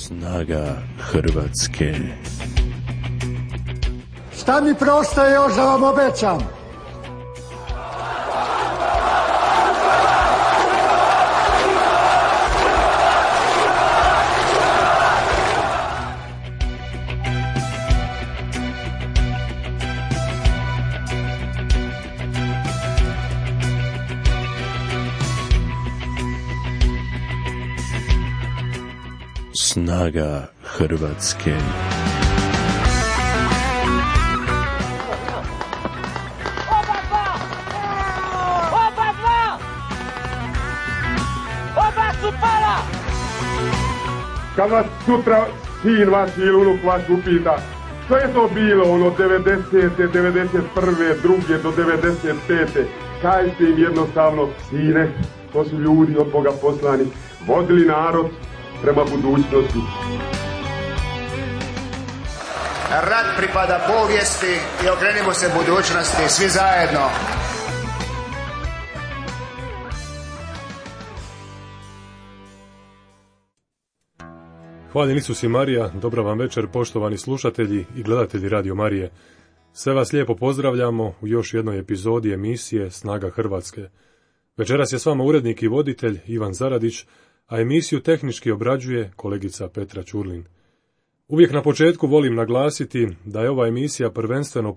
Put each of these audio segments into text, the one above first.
Snaga Hrvatske. Šta mi preostaje još da vam obećam? Snaga Hrvatske. Oba su pala! Kad vas sutra sin vaš ili unuk vaš upita što je to bilo ono 90. 91. druge do 95. Kažite im jednostavno, sine, to su ljudi od Boga poslani, vodili narod prema budućnosti. Rat pripada povijesti i okrenimo se budućnosti svi zajedno. Hvaljen Isus i Marija, dobra vam večer poštovani slušatelji i gledatelji Radio Marije. Sve vas lijepo pozdravljamo u još jednoj epizodi emisije Snaga Hrvatske. Večeras je s vama urednik i voditelj Ivan Zaradić, a emisiju tehnički obrađuje kolegica Petra Ćurlin. Uvijek na početku volim naglasiti da je ova emisija prvenstveno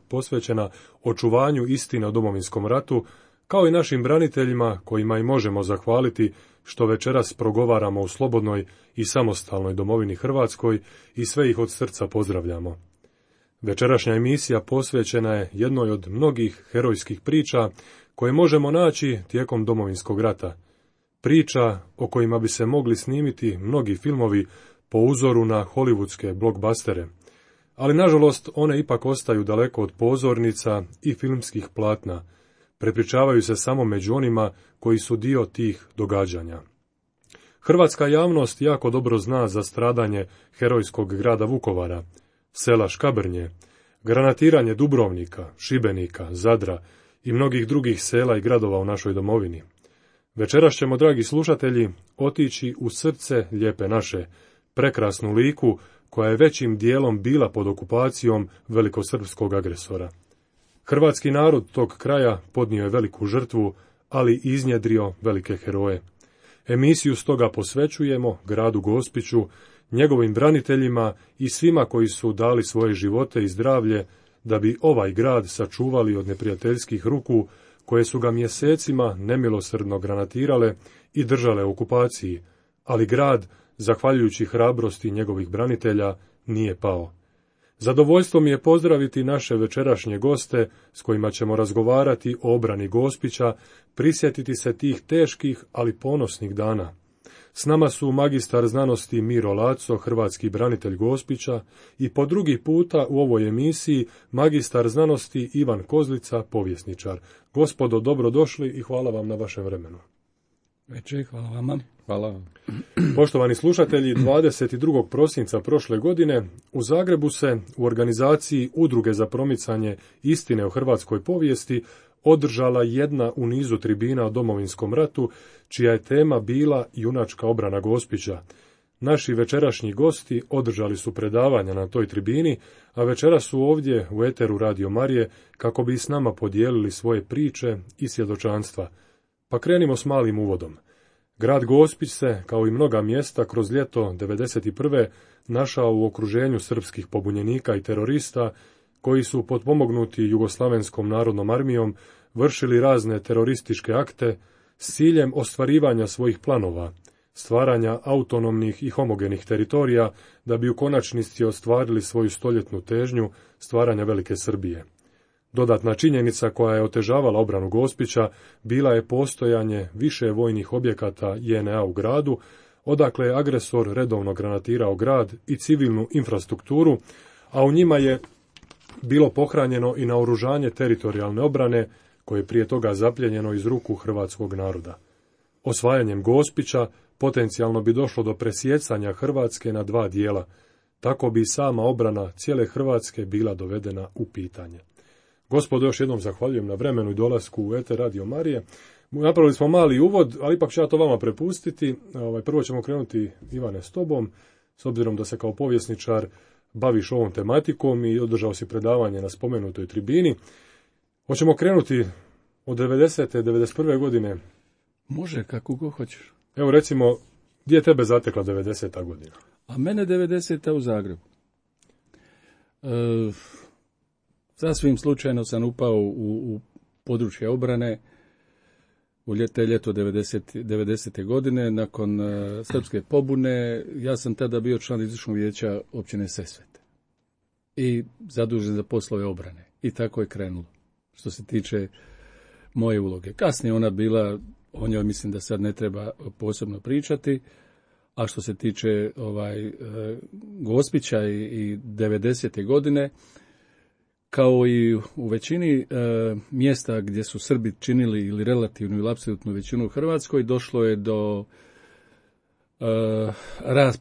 posvećena očuvanju istine o Domovinskom ratu, kao i našim braniteljima kojima i možemo zahvaliti što večeras progovaramo u slobodnoj i samostalnoj domovini Hrvatskoj i sve ih od srca pozdravljamo. Večerašnja emisija posvećena je jednoj od mnogih herojskih priča koje možemo naći tijekom Domovinskog rata. Priča o kojima bi se mogli snimiti mnogi filmovi po uzoru na hollywoodske blockbustere, ali nažalost one ipak ostaju daleko od pozornica i filmskih platna, prepričavaju se samo među onima koji su dio tih događanja. Hrvatska javnost jako dobro zna za stradanje herojskog grada Vukovara, sela Škabrnje, granatiranje Dubrovnika, Šibenika, Zadra i mnogih drugih sela i gradova u našoj domovini. Večeras ćemo, dragi slušatelji, otići u srce Lijepe naše, prekrasnu Liku koja je većim dijelom bila pod okupacijom velikosrpskog agresora. Hrvatski narod tog kraja podnio je veliku žrtvu, ali iznjedrio velike heroje. Emisiju stoga posvećujemo gradu Gospiću, njegovim braniteljima i svima koji su dali svoje živote i zdravlje da bi ovaj grad sačuvali od neprijateljskih ruku koje su ga mjesecima nemilosrdno granatirale i držale u okupaciji, ali grad, zahvaljujući hrabrosti njegovih branitelja, nije pao. Zadovoljstvo mi je pozdraviti naše večerašnje goste s kojima ćemo razgovarati o obrani Gospića, prisjetiti se tih teških, ali ponosnih dana. S nama su magistar znanosti Miro Laco, hrvatski branitelj Gospića, i po drugi puta u ovoj emisiji magistar znanosti Ivan Kozlica, povjesničar. Gospodo, dobrodošli i hvala vam na vašem vremenu. Večer, hvala vama. Hvala vam. Poštovani slušatelji, 22. prosinca prošle godine u Zagrebu se u organizaciji Udruge za promicanje istine o hrvatskoj povijesti održala jedna u nizu tribina o Domovinskom ratu, čija je tema bila junačka obrana Gospića. Naši večerašnji gosti održali su predavanja na toj tribini, a večeras su ovdje u eteru Radio Marije kako bi s nama podijelili svoje priče i svjedočanstva. Pa krenimo s malim uvodom. Grad Gospić se, kao i mnoga mjesta, kroz ljeto 1991. našao u okruženju srpskih pobunjenika i terorista, koji su potpomognuti Jugoslavenskom narodnom armijom vršili razne terorističke akte s ciljem ostvarivanja svojih planova, stvaranja autonomnih i homogenih teritorija da bi u konačnici ostvarili svoju stoljetnu težnju stvaranja Velike Srbije. Dodatna činjenica koja je otežavala obranu Gospića bila je postojanje više vojnih objekata JNA u gradu, odakle je agresor redovno granatirao grad i civilnu infrastrukturu, a u njima je bilo pohranjeno i naoružanje teritorijalne obrane koje je prije toga zapljenjeno iz ruku hrvatskog naroda. Osvajanjem Gospića potencijalno bi došlo do presjecanja Hrvatske na dva dijela, tako bi sama obrana cijele Hrvatske bila dovedena u pitanje. Gospodo, još jednom zahvaljujem na vremenu i dolasku u eter Radio Marije. Napravili smo mali uvod, ali ipak ću ja to vama prepustiti. Prvo ćemo krenuti, Ivane, s tobom, s obzirom da se kao povjesničar baviš ovom tematikom i održao si predavanje na spomenutoj tribini. Hoćemo krenuti od 90. 91. godine. Može, kako go hoćeš. Evo recimo, gdje je tebe zatekla 90. godina? A mene 90. u Zagrebu. Sasvim slučajno sam upao u područje obrane u ljeto 90. godine, nakon srpske pobune. Ja sam tada bio član izvršnog vijeća općine Sesvete i zadužen za poslove obrane. I tako je krenulo, što se tiče moje uloge. Kasnije ona bila, o njoj mislim da sad ne treba posebno pričati, a što se tiče Gospića i 90. godine, kao i u većini mjesta gdje su Srbi činili ili relativnu ili apsolutnu većinu u Hrvatskoj, došlo je do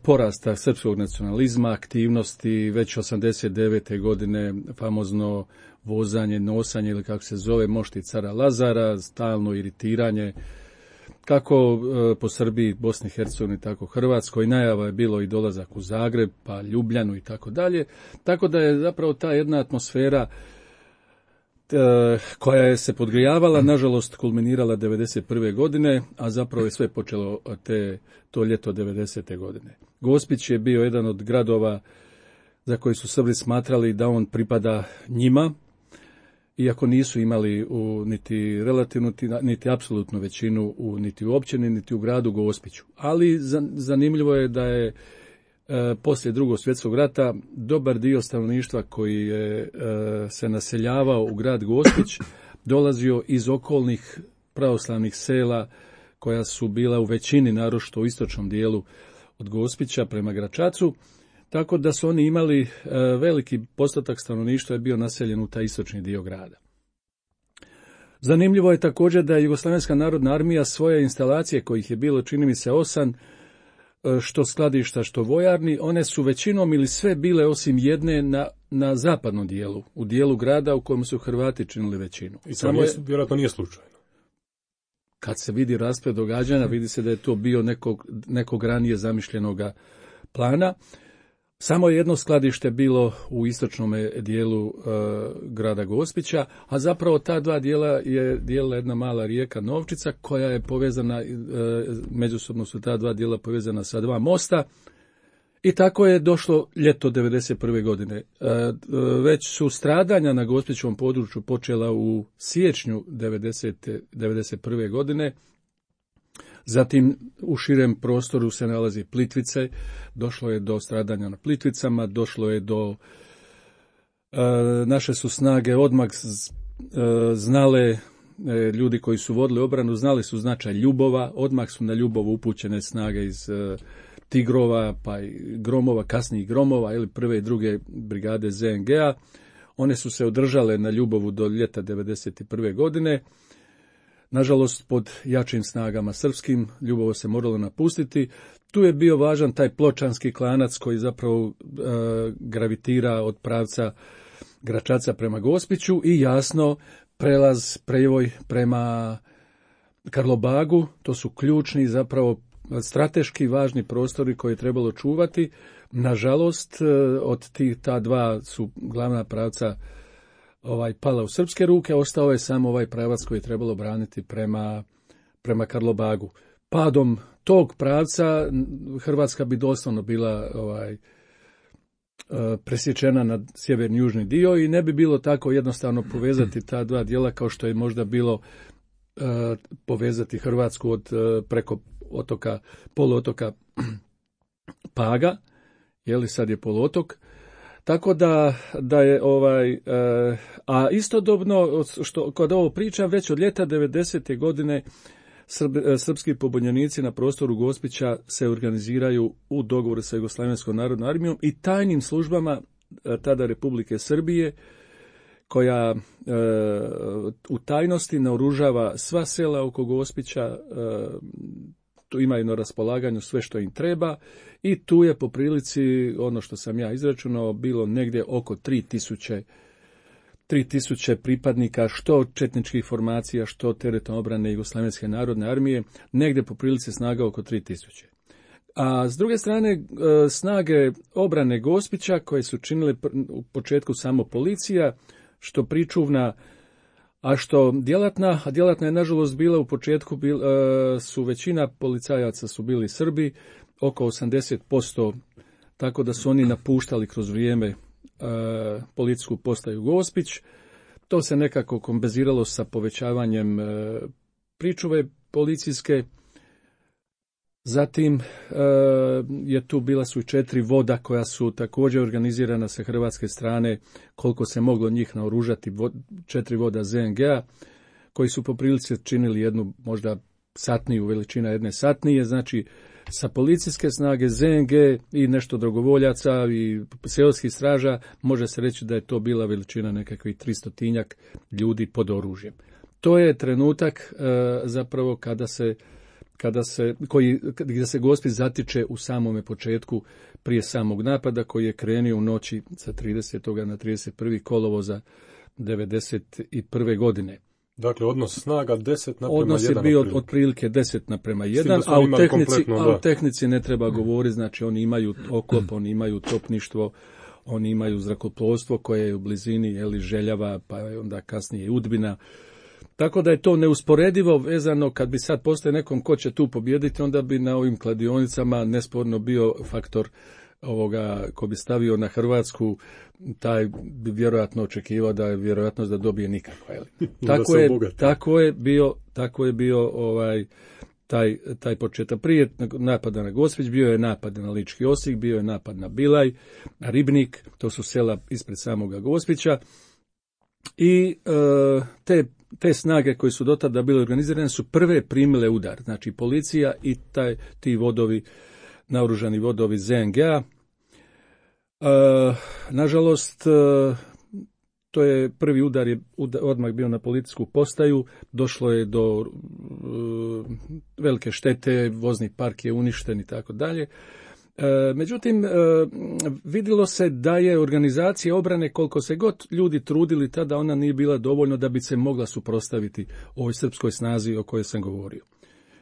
porasta srpskog nacionalizma, aktivnosti, već 89. godine famozno vozanje, nosanje ili kako se zove, mošti cara Lazara, stalno iritiranje, kako po Srbiji, Bosni i Hercegovini, tako Hrvatskoj. Najava je bilo i dolazak u Zagreb, pa Ljubljanu i tako dalje. Tako da je zapravo ta jedna atmosfera koja je se podgrijavala, nažalost kulminirala 91. godine, a zapravo je sve počelo to ljeto 90. godine. Gospić je bio jedan od gradova za koji su Srbi smatrali da on pripada njima, iako nisu imali niti relativnu, niti apsolutnu većinu niti u općini, niti u gradu Gospiću. Ali zanimljivo je da je poslije Drugog svjetskog rata dobar dio stanovništva koji je se naseljavao u grad Gospić dolazio iz okolnih pravoslavnih sela koja su bila u većini, naročito u istočnom dijelu od Gospića prema Gračacu, tako da su oni imali veliki postotak stanovništva je bio naseljen u taj istočni dio grada. Zanimljivo je također da je Jugoslavenska narodna armija svoje instalacije, kojih je bilo čini mi se 8, što skladišta, što vojarni, one su većinom ili sve bile osim jedne na zapadnom dijelu, u dijelu grada u kojem su Hrvati činili većinu. I to vjerojatno nije slučajno. Kad se vidi rasplet događanja, vidi se da je to bio nekog ranije zamišljenoga plana. Samo je jedno skladište bilo u istočnom dijelu grada Gospića, a zapravo ta dva dijela je dijelila jedna mala rijeka Novčica koja je povezana, međusobno su ta dva dijela povezana sa dva mosta i tako je došlo ljeto 91. godine. Već su stradanja na Gospićevom području počela u siječnju 91. godine. Zatim u širem prostoru se nalazi Plitvice, došlo je do stradanja na Plitvicama, došlo je do, naše su snage odmah znale, ljudi koji su vodili obranu, znali su značaj Ljubova, odmah su na Ljubovu upućene snage iz Tigrova, pa i Gromova, kasnijih Gromova, ili prve i druge brigade ZNG-a. One su se održale na Ljubovu do ljeta 91. godine. Nažalost, pod jačim snagama srpskim, Ljubovo se moralo napustiti. Tu je bio važan taj pločanski klanac koji zapravo gravitira od pravca Gračaca prema Gospiću i jasno prevoj prema Karlobagu. To su ključni, zapravo strateški važni prostori koje je trebalo čuvati. Nažalost, od ta dva su glavna pravca pala u srpske ruke, ostao je samo ovaj pravac koji je trebalo braniti prema Karlobagu. Padom tog pravca Hrvatska bi doslovno bila presječena na sjeverni južni dio i ne bi bilo tako jednostavno povezati ta dva dijela kao što je možda bilo povezati Hrvatsku preko poluotoka Paga, sad je poluotok. Tako da je a istodobno, što kod ovo pričam, već od ljeta 90. godine srpski pobunjenici na prostoru Gospića se organiziraju u dogovoru sa Jugoslavenskom narodnom armijom i tajnim službama tada Republike Srbije, koja u tajnosti naoružava sva sela oko Gospića, tu imaju na raspolaganju sve što im treba i tu je po prilici, ono što sam ja izračunao, bilo negdje oko 3000 3000 pripadnika što četničkih formacija, što teritorijalne obrane Jugoslavenske narodne armije, negdje po prilici snaga oko 3000. A s druge strane, snage obrane Gospića, koje su činile u početku samo policija, što pričuvna, a što djelatna, a djelatna je nažalost bila u početku, su većina policajaca su bili Srbi, oko 80%, tako da su oni napuštali kroz vrijeme policijsku postaju Gospić. To se nekako kompenziralo sa povećavanjem pričuve policijske. Zatim bila su i 4 voda koja su također organizirana sa hrvatske strane, koliko se moglo njih naoružati, 4 voda ZNG-a, koji su po prilici činili jednu možda satniju, veličina jedne satnije, znači sa policijske snage, ZNG i nešto dragovoljaca i seoskih straža, može se reći da je to bila veličina nekakvih 300-tinjak ljudi pod oružjem. To je trenutak zapravo gdje se Gospić zatiče u samome početku prije samog napada, koji je krenio u noći sa 30. na 31. kolovoza 1991. godine. Dakle, odnos snaga 10:1. Odnos je bio otprilike 10:1, a u tehnici ne treba govoriti, znači oni imaju oklop, oni imaju topništvo, oni imaju zrakoplovstvo koje je u blizini Željava, pa onda kasnije Udbina. Tako da je to neusporedivo vezano, kad bi sad postoje nekom ko će tu pobijediti, onda bi na ovim kladionicama nesporno bio faktor ovoga ko bi stavio na Hrvatsku, taj bi vjerojatno očekivao da je vjerojatnost da dobije nikakva. Tako je bio taj početak. Prije napada na Gospić bio je napad na Lički Osijek, bio je napad na Bilaj, na Ribnik, to su sela ispred samoga Gospića. I te snage koje su do tada bile organizirane su prve primile udar, znači policija i ti vodovi, naoružani vodovi ZNG-a. Nažalost, to je prvi udar je odmah bio na policijsku postaju, došlo je do velike štete, vozni park je uništen i tako dalje. Međutim, vidjelo se da je organizacija obrane, koliko se god ljudi trudili tada, ona nije bila dovoljno da bi se mogla suprotstaviti ovoj srpskoj snazi o kojoj sam govorio.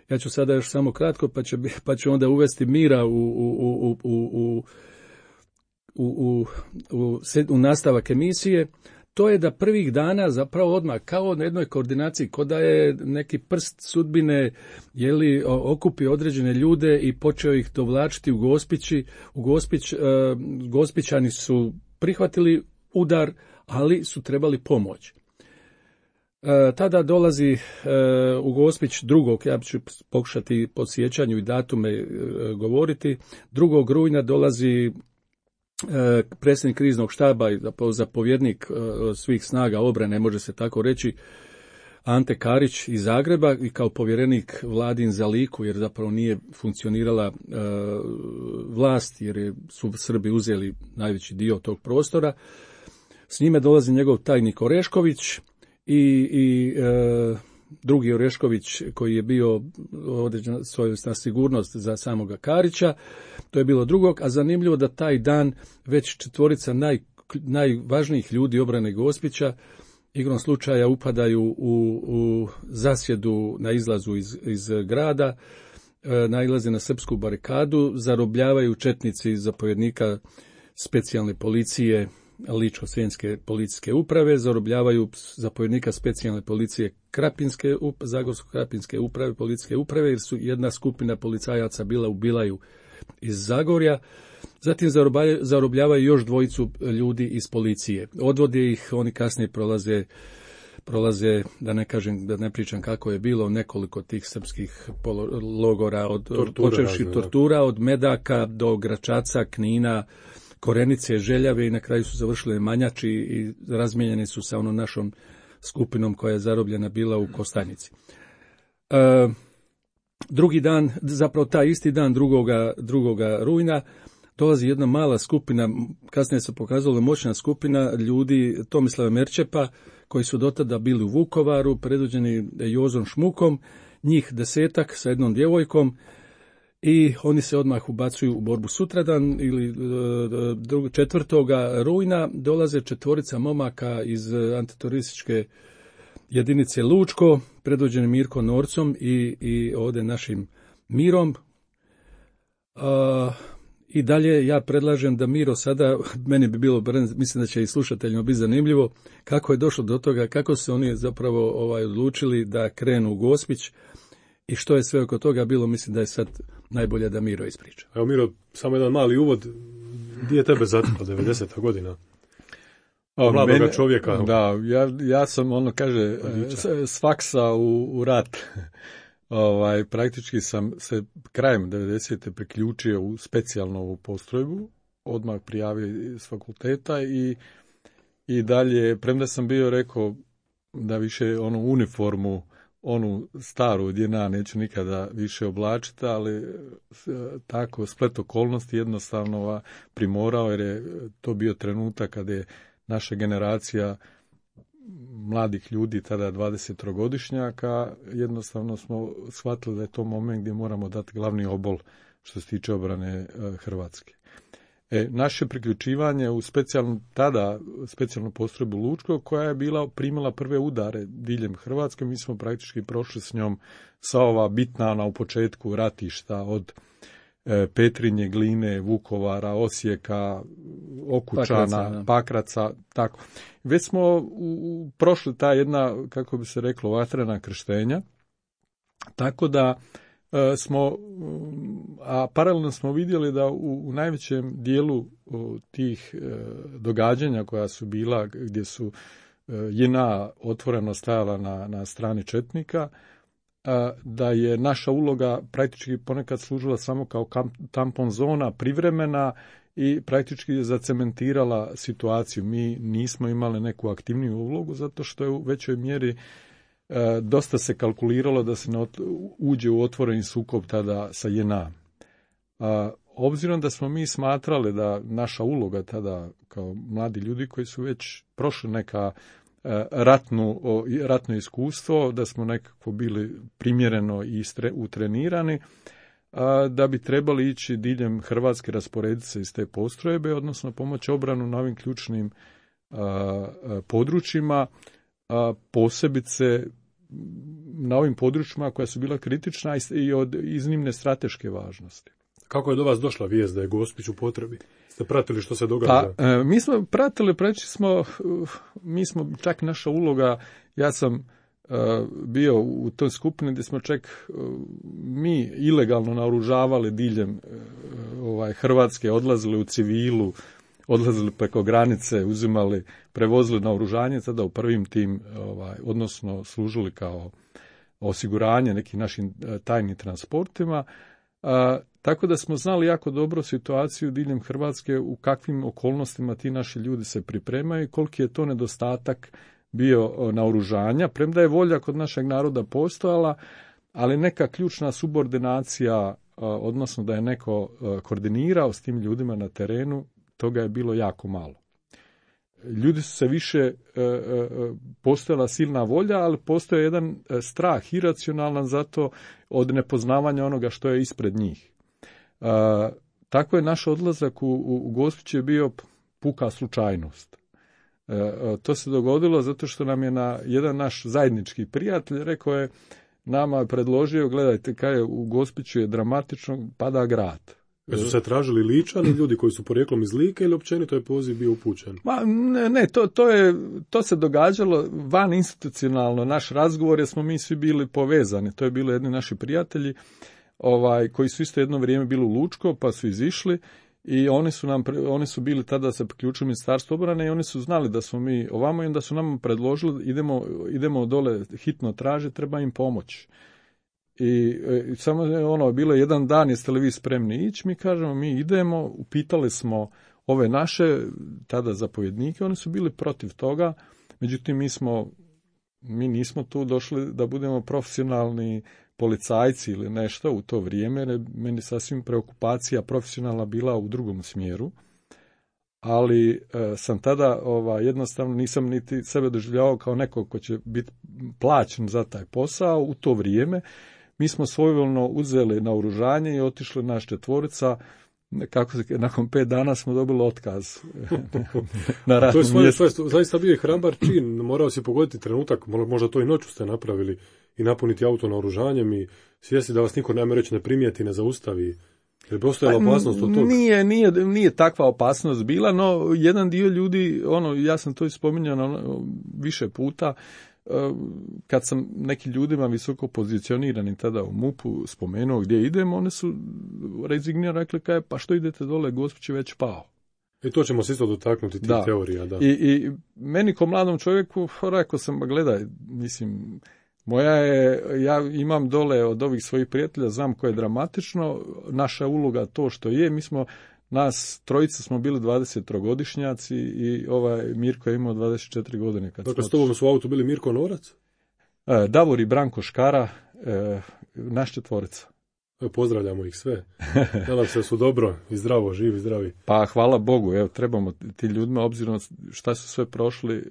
Ja ću sada još samo kratko, pa ću onda uvesti mira u nastavak emisije. To je da prvih dana zapravo odmah, kao na jednoj koordinaciji, ko da je neki prst sudbine okupio određene ljude i počeo ih dovlačiti u Gospić. Gospićani su prihvatili udar, ali su trebali pomoć. Tada dolazi u Gospić drugog, ja ću pokušati po sjećanju i datume govoriti, 2. rujna dolazi predsjednik kriznog štaba i zapovjednik svih snaga obrane, može se tako reći, Ante Karić iz Zagreba, i kao povjerenik Vladin za Liku, jer zapravo nije funkcionirala vlast, jer su Srbi uzeli najveći dio tog prostora. S njime dolazi njegov tajnik Orešković i drugi Orešković koji je bio određena svojevrsna sigurnost za samoga Karića. To je bilo drugog, a zanimljivo da taj dan već 4 najvažnijih ljudi obrane Gospića igrom slučaja upadaju u zasjedu na izlazu iz grada, nailaze na srpsku barikadu, zarobljavaju četnici zapovjednika specijalne policije Ličko-senjske policijske uprave, zarobljavaju zapovjednika specijalne policije Zagorsko-krapinske uprave, policijske uprave, jer su jedna skupina policajaca bila u Bilaju iz Zagorja. Zatim zarobljavaju još 2 ljudi iz policije. Odvode ih, oni kasnije prolaze, da ne pričam kako je bilo, nekoliko tih srpskih logora, počevši tortura, od Medaka do Gračaca, Knina, Korenice, Željave, i na kraju su završili Manjači i razmijenjeni su sa onom našom skupinom koja je zarobljena bila u Kostajnici. Drugi dan, zapravo taj isti dan 2. rujna, dolazi jedna mala skupina, kasnije se pokazala moćna skupina ljudi Tomislava Merčepa, koji su dotada bili u Vukovaru, predvođeni Jozom Šmukom, njih 10 sa jednom djevojkom, i oni se odmah ubacuju u borbu sutradan ili 4. rujna dolaze 4 momaka iz antiterorističke jedinice Lučko, predvođeni Mirko Norcom i ovdje našim Mirom. I dalje ja predlažem da Miro sada, meni bi bilo, mislim da će i slušateljima biti zanimljivo, kako je došlo do toga, kako su oni zapravo odlučili da krenu u Gospić i što je sve oko toga bilo, mislim da je sad najbolje da Miro ispriča. Evo Miro, samo jedan mali uvod, gdje je tebe zatekla 90. godina? Mladoga čovjeka. Da, ja sam, kaže, s faksa u rat. Praktički sam se krajem 90. priključio u specijalnu postrojbu, odmah prijavio s fakulteta i dalje, premda sam bio rekao da više uniformu, onu staru JNA neću nikada više oblačiti, ali tako splet okolnosti jednostavno primorao, jer je to bio trenutak kada je naša generacija mladih ljudi, tada 23-godišnjaka, jednostavno smo shvatili da je to moment gdje moramo dati glavni obol što se tiče obrane Hrvatske. Naše priključivanje u specijalnu postrojbu Lučko, koja je primila prve udare diljem Hrvatske, mi smo praktički prošli s njom sa ova bitna u početku ratišta od Petrinje, Gline, Vukovara, Osijeka, Okučana, Pakraca, tako. Već smo prošli ta jedna, kako bi se reklo, vatrena krštenja, tako da smo, a paralelno smo vidjeli da u najvećem dijelu tih događanja koja su bila, gdje su JNA otvoreno stajala na strani četnika, da je naša uloga praktički ponekad služila samo kao tampon zona, privremena i praktički je zacementirala situaciju. Mi nismo imali neku aktivniju ulogu zato što je u većoj mjeri dosta se kalkuliralo da se uđe u otvoreni sukob tada sa JNA. Obzirom da smo mi smatrali da naša uloga tada kao mladi ljudi koji su već prošli neka ratno iskustvo, da smo nekako bili primjereno i utrenirani, da bi trebali ići diljem Hrvatske, rasporediti se iz te postrojbe, odnosno pomoći obranu na ovim ključnim područjima, posebice na ovim područjima koja su bila kritična i od iznimne strateške važnosti. Kako je do vas došla vijest da je Gospić u potrebi? Ste pratili što se događa? Mi smo pratili, mi smo čak naša uloga, ja sam bio u toj skupini gdje smo čak mi ilegalno naoružavali diljem Hrvatske, odlazili u civilu, odlazili preko granice, uzimali, prevozili naoružanje, tada u prvim tim, odnosno služili kao osiguranje nekim našim tajnim transportima. Tako da smo znali jako dobro situaciju diljem Hrvatske, u kakvim okolnostima ti naši ljudi se pripremaju i koliki je to nedostatak bio naoružanja, premda je volja kod našeg naroda postojala, ali neka ključna subordinacija, odnosno da je neko koordinirao s tim ljudima na terenu, toga je bilo jako malo. Ljudi su se više, postojala silna volja, ali postoje jedan strah iracionalan zato od nepoznavanja onoga što je ispred njih. Tako je naš odlazak u Gospić je bio puka slučajnost. To se dogodilo zato što nam je jedan naš zajednički prijatelj rekao je, nama je predložio, gledajte, kaj u Gospiću je dramatično, pada grad. Su se tražili Ličani, ljudi koji su porijeklom iz Like, ili općenito je poziv bio upućen? Ne, to se događalo van institucionalno. Naš razgovor, jer smo mi svi bili povezani. To je bili jedni naši prijatelji koji su isto jedno vrijeme bili u Lučko, pa su izišli i oni su bili tada se priključili Ministarstvu obrane i oni su znali da smo mi ovamo i onda su nam predložili idemo dole hitno tražiti, treba im pomoć. I samo bilo jedan dan, jeste li vi spremni ići? Mi kažemo, mi idemo, upitali smo ove naše tada zapovjednike, oni su bili protiv toga, međutim mi nismo tu došli da budemo profesionalni policajci ili nešto u to vrijeme, jer meni sasvim preokupacija profesionalna bila u drugom smjeru, ali sam tada jednostavno nisam niti sebe doživljavao kao nekog ko će biti plaćen za taj posao u to vrijeme. mi smo svojevoljno uzeli naoružanje i otišli naš četvorica. Nakon 5 dana smo dobili otkaz na radnom mjestu. To je zaista bio i hrabar čin. Morao si pogoditi trenutak, možda to i noću ste napravili, i napuniti auto naoružanjem i svijesti da vas niko ne primijeti, ne zaustavi. Jer bi ostajala opasnost od toga? Nije takva opasnost bila, no jedan dio ljudi, ja sam to spominjao više puta, kad sam nekim ljudima visoko pozicioniranim tada u MUP-u spomenuo gdje idem, one su rezignirano rekli pa što idete dole, Gospić je već pao. I to ćemo se isto dotaknuti tih teorija. Da. I meni ko mladom čovjeku rekao sam, gledaj, mislim, ja imam dole od ovih svojih prijatelja, znam koje je dramatično, naša uloga to što je, nas trojica smo bili 23-godišnjaci i Mirko je imao 24 godine. Dakle, s tobom su u autu bili Mirko Norac? Davor i Branko Škara, naš četvorica. Pozdravljamo ih sve. Nadam se da su dobro i zdravo, živi, zdravi. Pa hvala Bogu, trebamo ti ljudima, obzirom šta su sve prošli,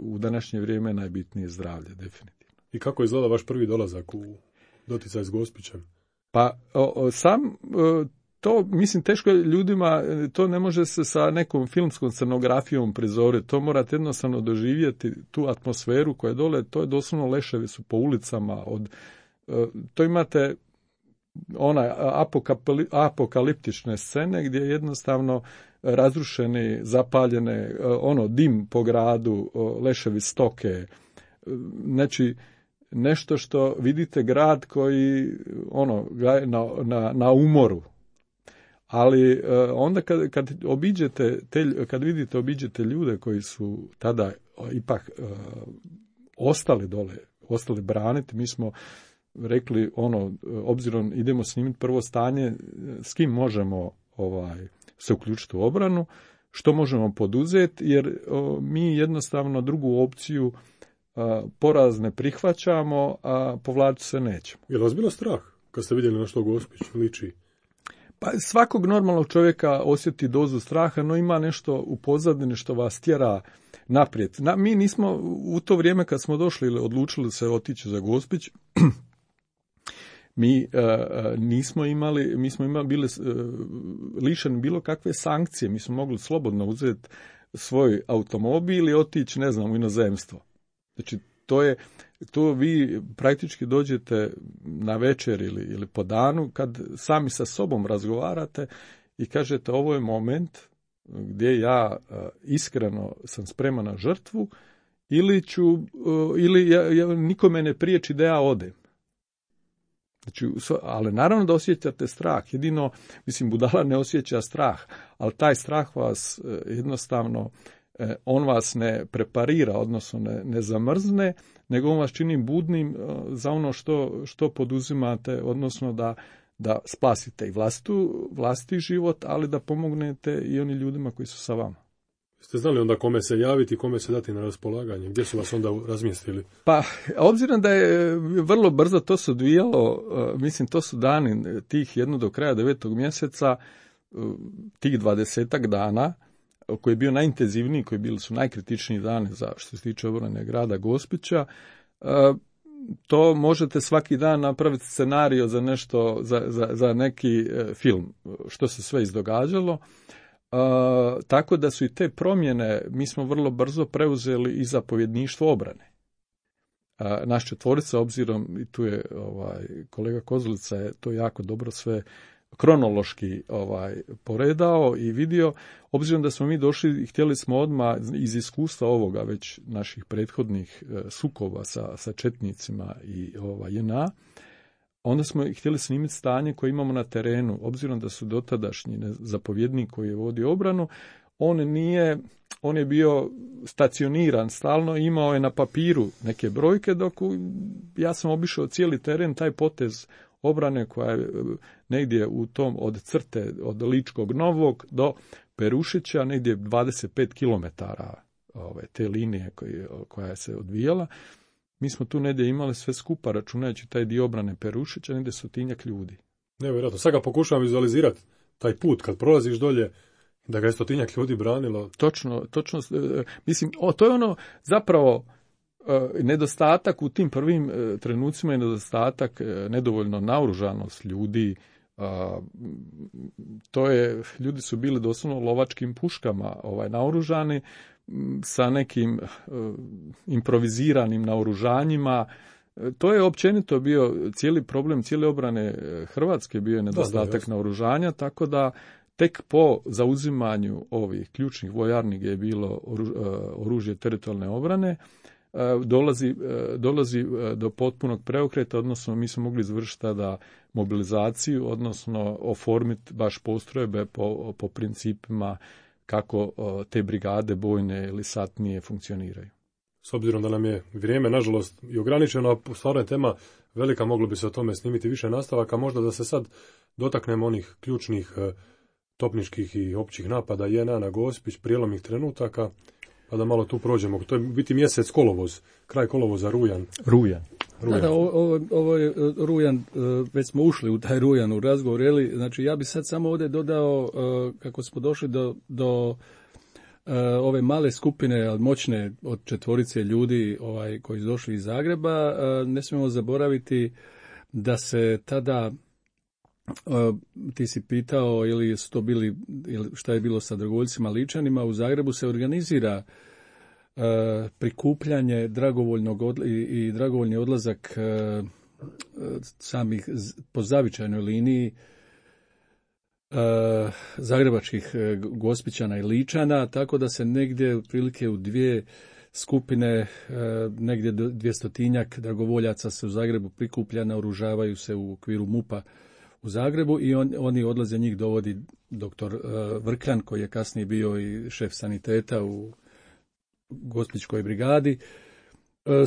u današnje vrijeme najbitnije zdravlje, definitivno. I kako izgleda vaš prvi dolazak u doticaj s Gospićem? Pa to, mislim, teško je ljudima, to ne može se sa nekom filmskom scenografijom prizoriti, to morate jednostavno doživjeti tu atmosferu koja je dole, to je doslovno leševi su po ulicama, to imate apokaliptične scene gdje jednostavno razrušeni, zapaljene, dim po gradu, leševi stoke, znači nešto što vidite grad koji na umoru. Ali onda kad obiđete ljude koji su tada ipak ostali dole, ostali braniti, mi smo rekli obzirom idemo snimiti prvo stanje, s kim možemo se uključiti u obranu, što možemo poduzeti, jer mi jednostavno drugu opciju poraz ne prihvaćamo, a povlačiti se nećemo. Je li vas bilo strah kad ste vidjeli na što Gospić liči? Pa svakog normalnog čovjeka osjeti dozu straha, no ima nešto u pozadini što vas tjera naprijed. Mi nismo u to vrijeme kad smo došli ili odlučili se otići za Gospić, mi smo bili lišeni bilo kakve sankcije, mi smo mogli slobodno uzeti svoj automobil i otići, u inozemstvo. Znači, to vi praktički dođete na večer ili po danu kad sami sa sobom razgovarate i kažete ovo je moment gdje ja iskreno sam spreman na žrtvu ili nikome ne priječi da ja odem. Znači, ali naravno da osjećate strah. Jedino, budala ne osjeća strah, ali taj strah vas jednostavno, on vas ne preparira, odnosno ne zamrzne, nego on vas čini budnim za ono što poduzimate, odnosno da spasite i vlastiti život, ali da pomognete i onim ljudima koji su sa vama. Ste znali onda kome se javiti, kome se dati na raspolaganje? Gdje su vas onda razmjestili? Pa, obzirom da je vrlo brzo to se odvijalo, to su dani tih jedno do kraja 9. mjeseca, tih 20-ak dana, koji je bio najintenzivniji, koji bili su najkritičniji dani za što se tiče obrane grada Gospića, to možete svaki dan napraviti scenario za nešto, za neki film, što se sve izdogađalo. Tako da su i te promjene, mi smo vrlo brzo preuzeli i zapovjedništvo obrane. Naš četvorica, obzirom, i tu je kolega Kozlica je to jako dobro sve kronološki poredao i vidio, obzirom da smo mi došli i htjeli smo odmah iz iskustva ovoga već naših prethodnih sukoba sa četnicima i JNA, onda smo htjeli snimiti stanje koje imamo na terenu, obzirom da su dotadašnji zapovjednik koji je vodio obranu, on je bio stacioniran stalno, imao je na papiru neke brojke, dok ja sam obišao cijeli teren, taj potez obrane koja je negdje u tom od crte, od Ličkog Novog do Perušića, negdje 25 kilometara te linije koja se odvijala. Mi smo tu negdje imali sve skupa, računajući taj dio obrane Perušića, negdje 100-tinjak ljudi. Nevjerojatno. Sad ga pokušavam vizualizirati, taj put, kad prolaziš dolje, da ga je 100-tinjak ljudi branilo. Točno. To je zapravo, nedostatak u tim prvim trenucima je nedostatak, nedovoljno naoružanost ljudi. Ljudi su bili doslovno lovačkim puškama naoružani sa nekim improviziranim naoružanjima. To je općenito bio cijeli problem, cijele obrane Hrvatske bio je nedostatak naoružanja, tako da tek po zauzimanju ovih ključnih vojarni gdje je bilo oružje teritorijalne obrane, dolazi do potpunog preokreta, odnosno mi smo mogli izvršiti tada mobilizaciju, odnosno oformiti baš postrojbe po principima kako te brigade bojne ili satnije funkcioniraju. S obzirom da nam je vrijeme, nažalost, i ograničeno, a stvarno je tema velika, moglo bi se o tome snimiti više nastavaka, možda da se sad dotaknemo onih ključnih topničkih i općih napada JNA na Gospić, prijelomnih trenutaka, pa da malo tu prođemo. To je biti mjesec kolovoz, kraj kolovoza, rujan. Da, ovo je rujan, već smo ušli u taj rujan u razgovor, znači ja bi sad samo ovdje dodao kako smo došli do ove male skupine, ali moćne od 4 ljudi koji su došli iz Zagreba, ne smijemo zaboraviti da se tada, ti si pitao ili su to bili, ili šta je bilo sa dragovoljcima Ličanima, u Zagrebu se organizira prikupljanje dragovoljnog i dragovoljni odlazak samih po zavičajnoj liniji zagrebačkih Gospićana i Ličana, tako da se negdje otprilike u 2 skupine, negdje 200-tinjak dragovoljaca se u Zagrebu prikuplja, naoružavaju se u okviru MUP-a u Zagrebu i oni odlaze, njih dovodi doktor Vrkljan, koji je kasnije bio i šef saniteta u Gospićkoj brigadi,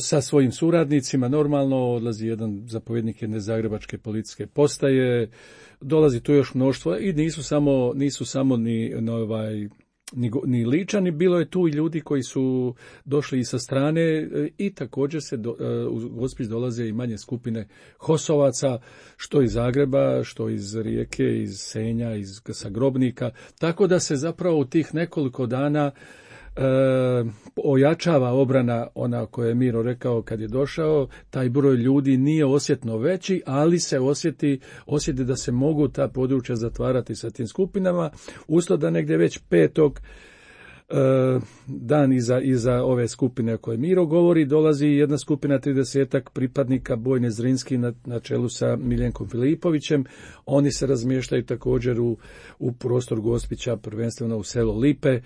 sa svojim suradnicima. Normalno odlazi jedan zapovjednik jedne zagrebačke policijske postaje, dolazi tu još mnoštvo i nisu samo ni Ličani, bilo je tu i ljudi koji su došli i sa strane i također se u Gospić dolaze i manje skupine Hosovaca, što iz Zagreba, što iz Rijeke, iz Senja, sa Grobnika, tako da se zapravo u tih nekoliko dana ojačava obrana, ona koju je Miro rekao kad je došao. Taj broj ljudi nije osjetno veći, ali se osjeti da se mogu ta područja zatvarati sa tim skupinama, usto da negdje već 5. dan iza ove skupine o kojoj Miro govori, dolazi jedna skupina 30-ak pripadnika bojne Zrinski na čelu sa Miljenkom Filipovićem. Oni se razmještaju također u prostor Gospića, prvenstveno u selo Lipe.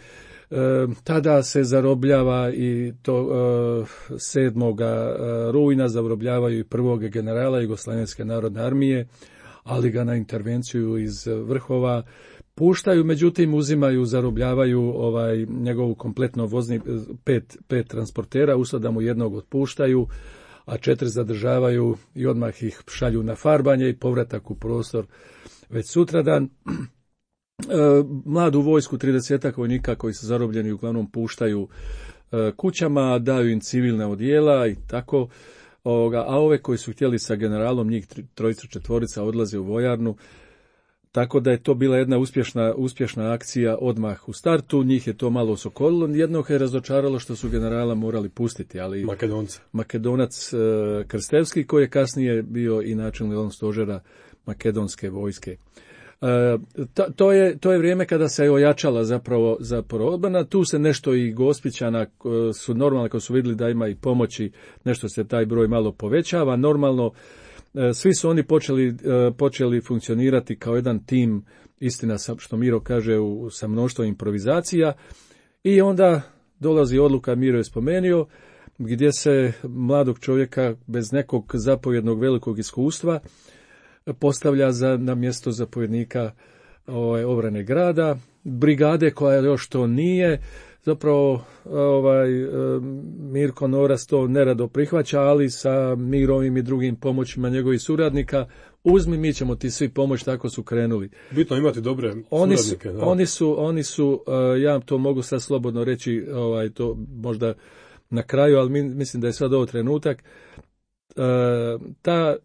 Tada se zarobljava i to 7. rujna zarobljavaju i 1. generala Jugoslavenske narodne armije, ali ga na intervenciju iz vrhova puštaju, međutim uzimaju, zarobljavaju njegovu kompletno vozni 5 transportera, usto da mu jednog otpuštaju, a 4 zadržavaju i odmah ih šalju na farbanje i povratak u prostor već sutradan. Mladu vojsku, 30 vojnika koji su zarobljeni uglavnom puštaju kućama, daju im civilne odijela i tako, a ove koji su htjeli sa generalom, njih 3-4 odlaze u vojarnu, tako da je to bila jedna uspješna akcija odmah u startu. Njih je to malo osokolilo, jednog je razočaralo što su generala morali pustiti, ali Makedonac Krstevski, koji je kasnije bio i načelnik stožera makedonske vojske. To je vrijeme kada se ojačala zapravo odbrana. Tu se nešto i Gospićana su normalno, kad su vidjeli da ima i pomoći, nešto se taj broj malo povećava. Normalno, svi su oni počeli funkcionirati kao jedan tim, istina što Miro kaže, sa mnoštvo improvizacija, i onda dolazi odluka, Miro je spomenuo, gdje se mladog čovjeka bez nekog zapovjednog velikog iskustva postavlja na mjesto zapovjednika obrane grada, brigade koja još to nije. Zapravo Mirko Noras to nerado prihvaća, ali sa Mirovim i drugim pomoćima njegovih suradnika, uzmi, mi ćemo ti svi pomoći, tako su krenuli. Bitno imati dobre suradnike. Oni su, ja to mogu sad slobodno reći, to možda na kraju, ali mislim da je sad ovo trenutak, ta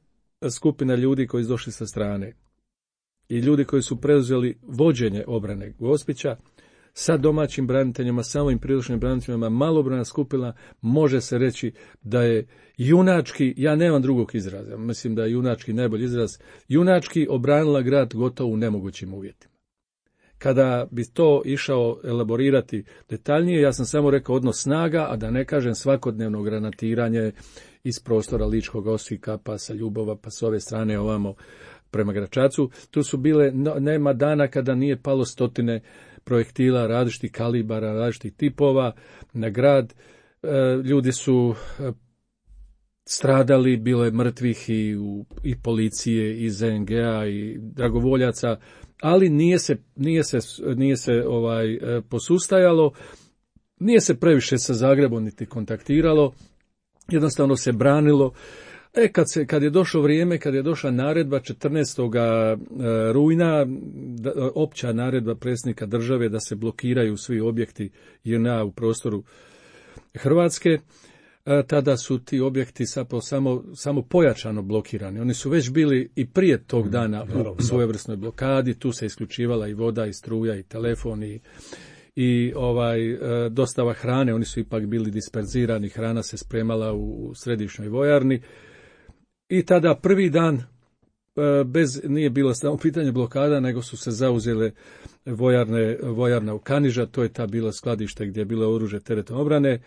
skupina ljudi koji su došli sa strane i ljudi koji su preuzeli vođenje obrane Gospića sa domaćim braniteljima, sa ovim priručnim braniteljima, malobrojna skupina, može se reći da je junački, ja nemam drugog izraza, mislim da je junački najbolji izraz, junački obranila grad gotovo u nemogućim uvjetima. Kada bi to išao elaborirati detaljnije, ja sam samo rekao odnos snaga, a da ne kažem svakodnevno granatiranje iz prostora Ličkog Osijeka, pa sa Ljubova, pa s ove strane ovamo prema Gračacu. Tu su bile, nema dana kada nije palo stotine projektila različitih kalibara, različitih tipova na grad. Ljudi su stradali, bilo je mrtvih i policije, i ZNG-a, i dragovoljaca, ali nije se posustajalo, nije se previše sa Zagrebom niti kontaktiralo, jednostavno se branilo. Kad je došlo vrijeme, kad je došla naredba 14. rujna, opća naredba predsjednika države da se blokiraju svi objekti JNA u prostoru Hrvatske, tada su ti objekti samo pojačano blokirani. Oni su već bili i prije tog dana u svojevrsnoj blokadi, tu se isključivala i voda, i struja, i telefon, i dostava hrane, oni su ipak bili disperzirani, hrana se spremala u središnjoj vojarni. I tada prvi dan, nije bilo samo pitanje blokada, nego su se zauzele vojarna u Kaniža, to je ta bilo skladište gdje je bilo oružje teretne obrane,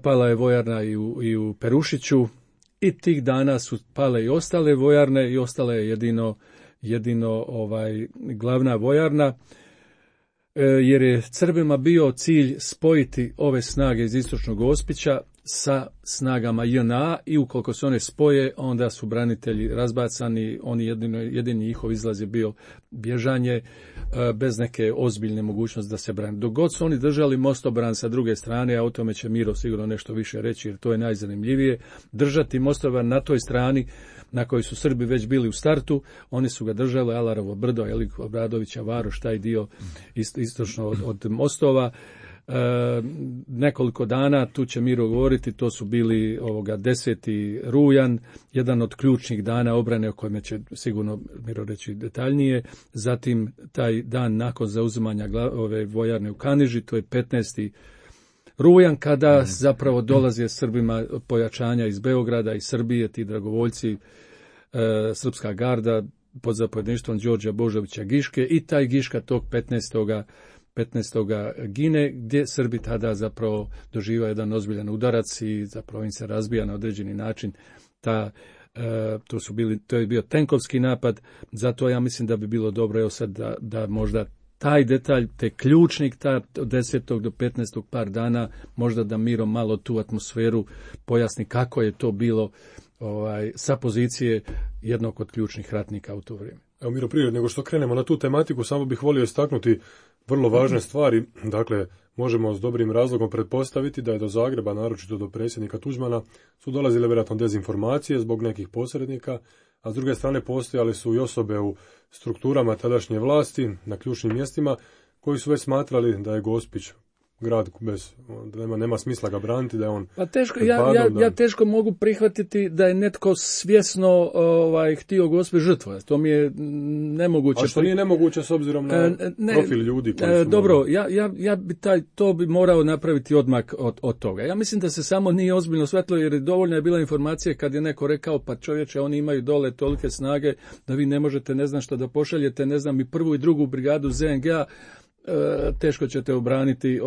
pala je vojarna i u Perušiću, i tih dana su pale i ostale vojarne, i ostala je jedino glavna vojarna, jer je Srbima bio cilj spojiti ove snage iz istočnog Gospića sa snagama JNA, i ukoliko se one spoje, onda su branitelji razbacani, jedini njihov izlaz je bio bježanje bez neke ozbiljne mogućnosti da se brani. Dok god su oni držali mostobran sa druge strane, a o tome će Miro sigurno nešto više reći, jer to je najzanimljivije, držati mostobran na toj strani na kojoj su Srbi već bili u startu, oni su ga držali, Alarovo brdo, Obradovića Varoš, taj dio istočno od mostova. Nekoliko dana, tu će Miro govoriti, to su bili 10. rujan, jedan od ključnih dana obrane o kojem će sigurno Miro reći detaljnije. Zatim taj dan nakon zauzimanja ove vojarne u Kaniži, to je 15. rujan, kada zapravo dolaze Srbima pojačanja iz Beograda i Srbije, ti dragovoljci, srpska garda pod zapovjedništvom Đorđa Božovića Giške, i taj Giška tog 15. gine, gdje Srbi tada zapravo doživaju jedan ozbiljan udarac i zapravo im se razbija na određeni način to je bio tenkovski napad. Zato ja mislim da bi bilo dobro, evo sad, da možda taj detalj, te ključnik, od 10. do 15. par dana, možda da Miro malo tu atmosferu pojasni kako je to bilo sa pozicije jednog od ključnih ratnika u to vrijeme. Evo Miro, prije nego što krenemo na tu tematiku, samo bih volio istaknuti vrlo važne stvari. Dakle, možemo s dobrim razlogom pretpostaviti da je do Zagreba, naročito do predsjednika Tuđmana, su dolazile vjerojatno dezinformacije zbog nekih posrednika, a s druge strane postojale su i osobe u strukturama tadašnje vlasti na ključnim mjestima koji su već smatrali da je Gospić grad nema smisla ga braniti, da je on... Pa teško, ja teško mogu prihvatiti da je netko svjesno htio Gospić žrtvovati. To mi je nemoguće. A što nije nemoguće s obzirom na profil ljudi koji su... Dobro, ja bi to bi morao napraviti odmak od toga. Ja mislim da se samo nije ozbiljno shvatilo, jer dovoljna je bila informacija kad je neko rekao, pa čovječe, oni imaju dole tolike snage da vi ne možete, ne znam što da pošaljete, ne znam, i 1. i 2. brigadu ZNG-a, teško ćete obraniti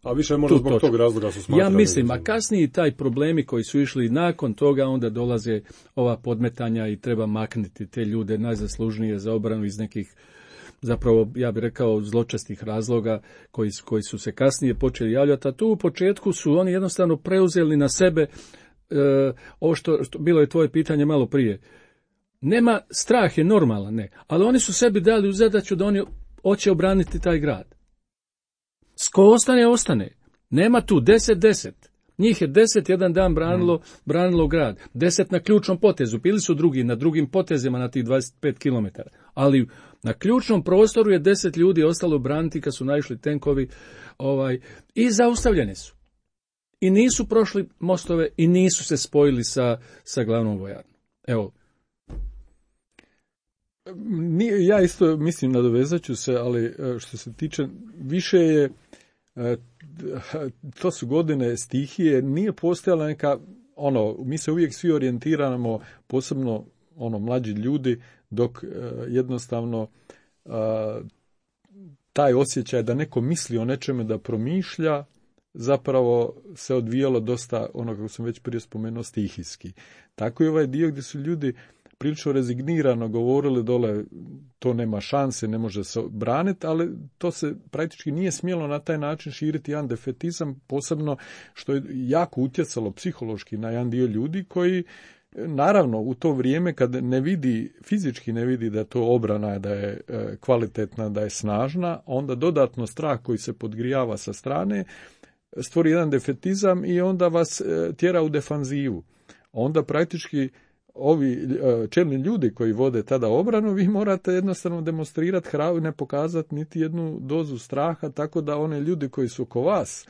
a više možda zbog tog razloga su smatrali. Ja mislim, a kasnije taj problemi koji su išli nakon toga, onda dolaze ova podmetanja i treba maknuti te ljude najzaslužnije za obranu iz nekih, zapravo ja bih rekao, zločestih razloga koji su se kasnije počeli javljati. A tu u početku su oni jednostavno preuzeli na sebe ovo što bilo je tvoje pitanje malo prije. Nema, strah je normalan, ne, ali oni su sebi dali u zadaću da oni hoće obraniti taj grad. Ko ostane. Nema tu 10. Njih je 10 jedan dan branilo grad. 10 na ključnom potezu. Bili su drugi na drugim potezima na tih 25 km. Ali na ključnom prostoru je 10 ljudi ostalo braniti kad su naišli tenkovi i zaustavljeni su. I nisu prošli mostove i nisu se spojili sa glavnom vojarnom. Evo. Ja isto mislim, nadovezat ću se, ali što se tiče, više je, to su godine stihije, nije postojala neka, mi se uvijek svi orijentiramo, posebno mlađi ljudi, dok jednostavno taj osjećaj da neko misli o nečemu, da promišlja, zapravo se odvijalo dosta, kako sam već prije spomenuo, stihijski. Tako i ovaj dio gdje su ljudi prilično rezignirano govorili dole, to nema šanse, ne može se braniti, ali to se praktički nije smjelo na taj način širiti jedan defetizam, posebno što je jako utjecalo psihološki na jedan dio ljudi koji, naravno, u to vrijeme kad ne vidi, fizički ne vidi da je to obrana, da je kvalitetna, da je snažna, onda dodatno strah koji se podgrijava sa strane stvori jedan defetizam i onda vas tjera u defanzivu. Onda praktički ovi čelni ljudi koji vode tada obranu, vi morate jednostavno demonstrirati hrabrost, ne pokazati niti jednu dozu straha, tako da one ljudi koji su oko vas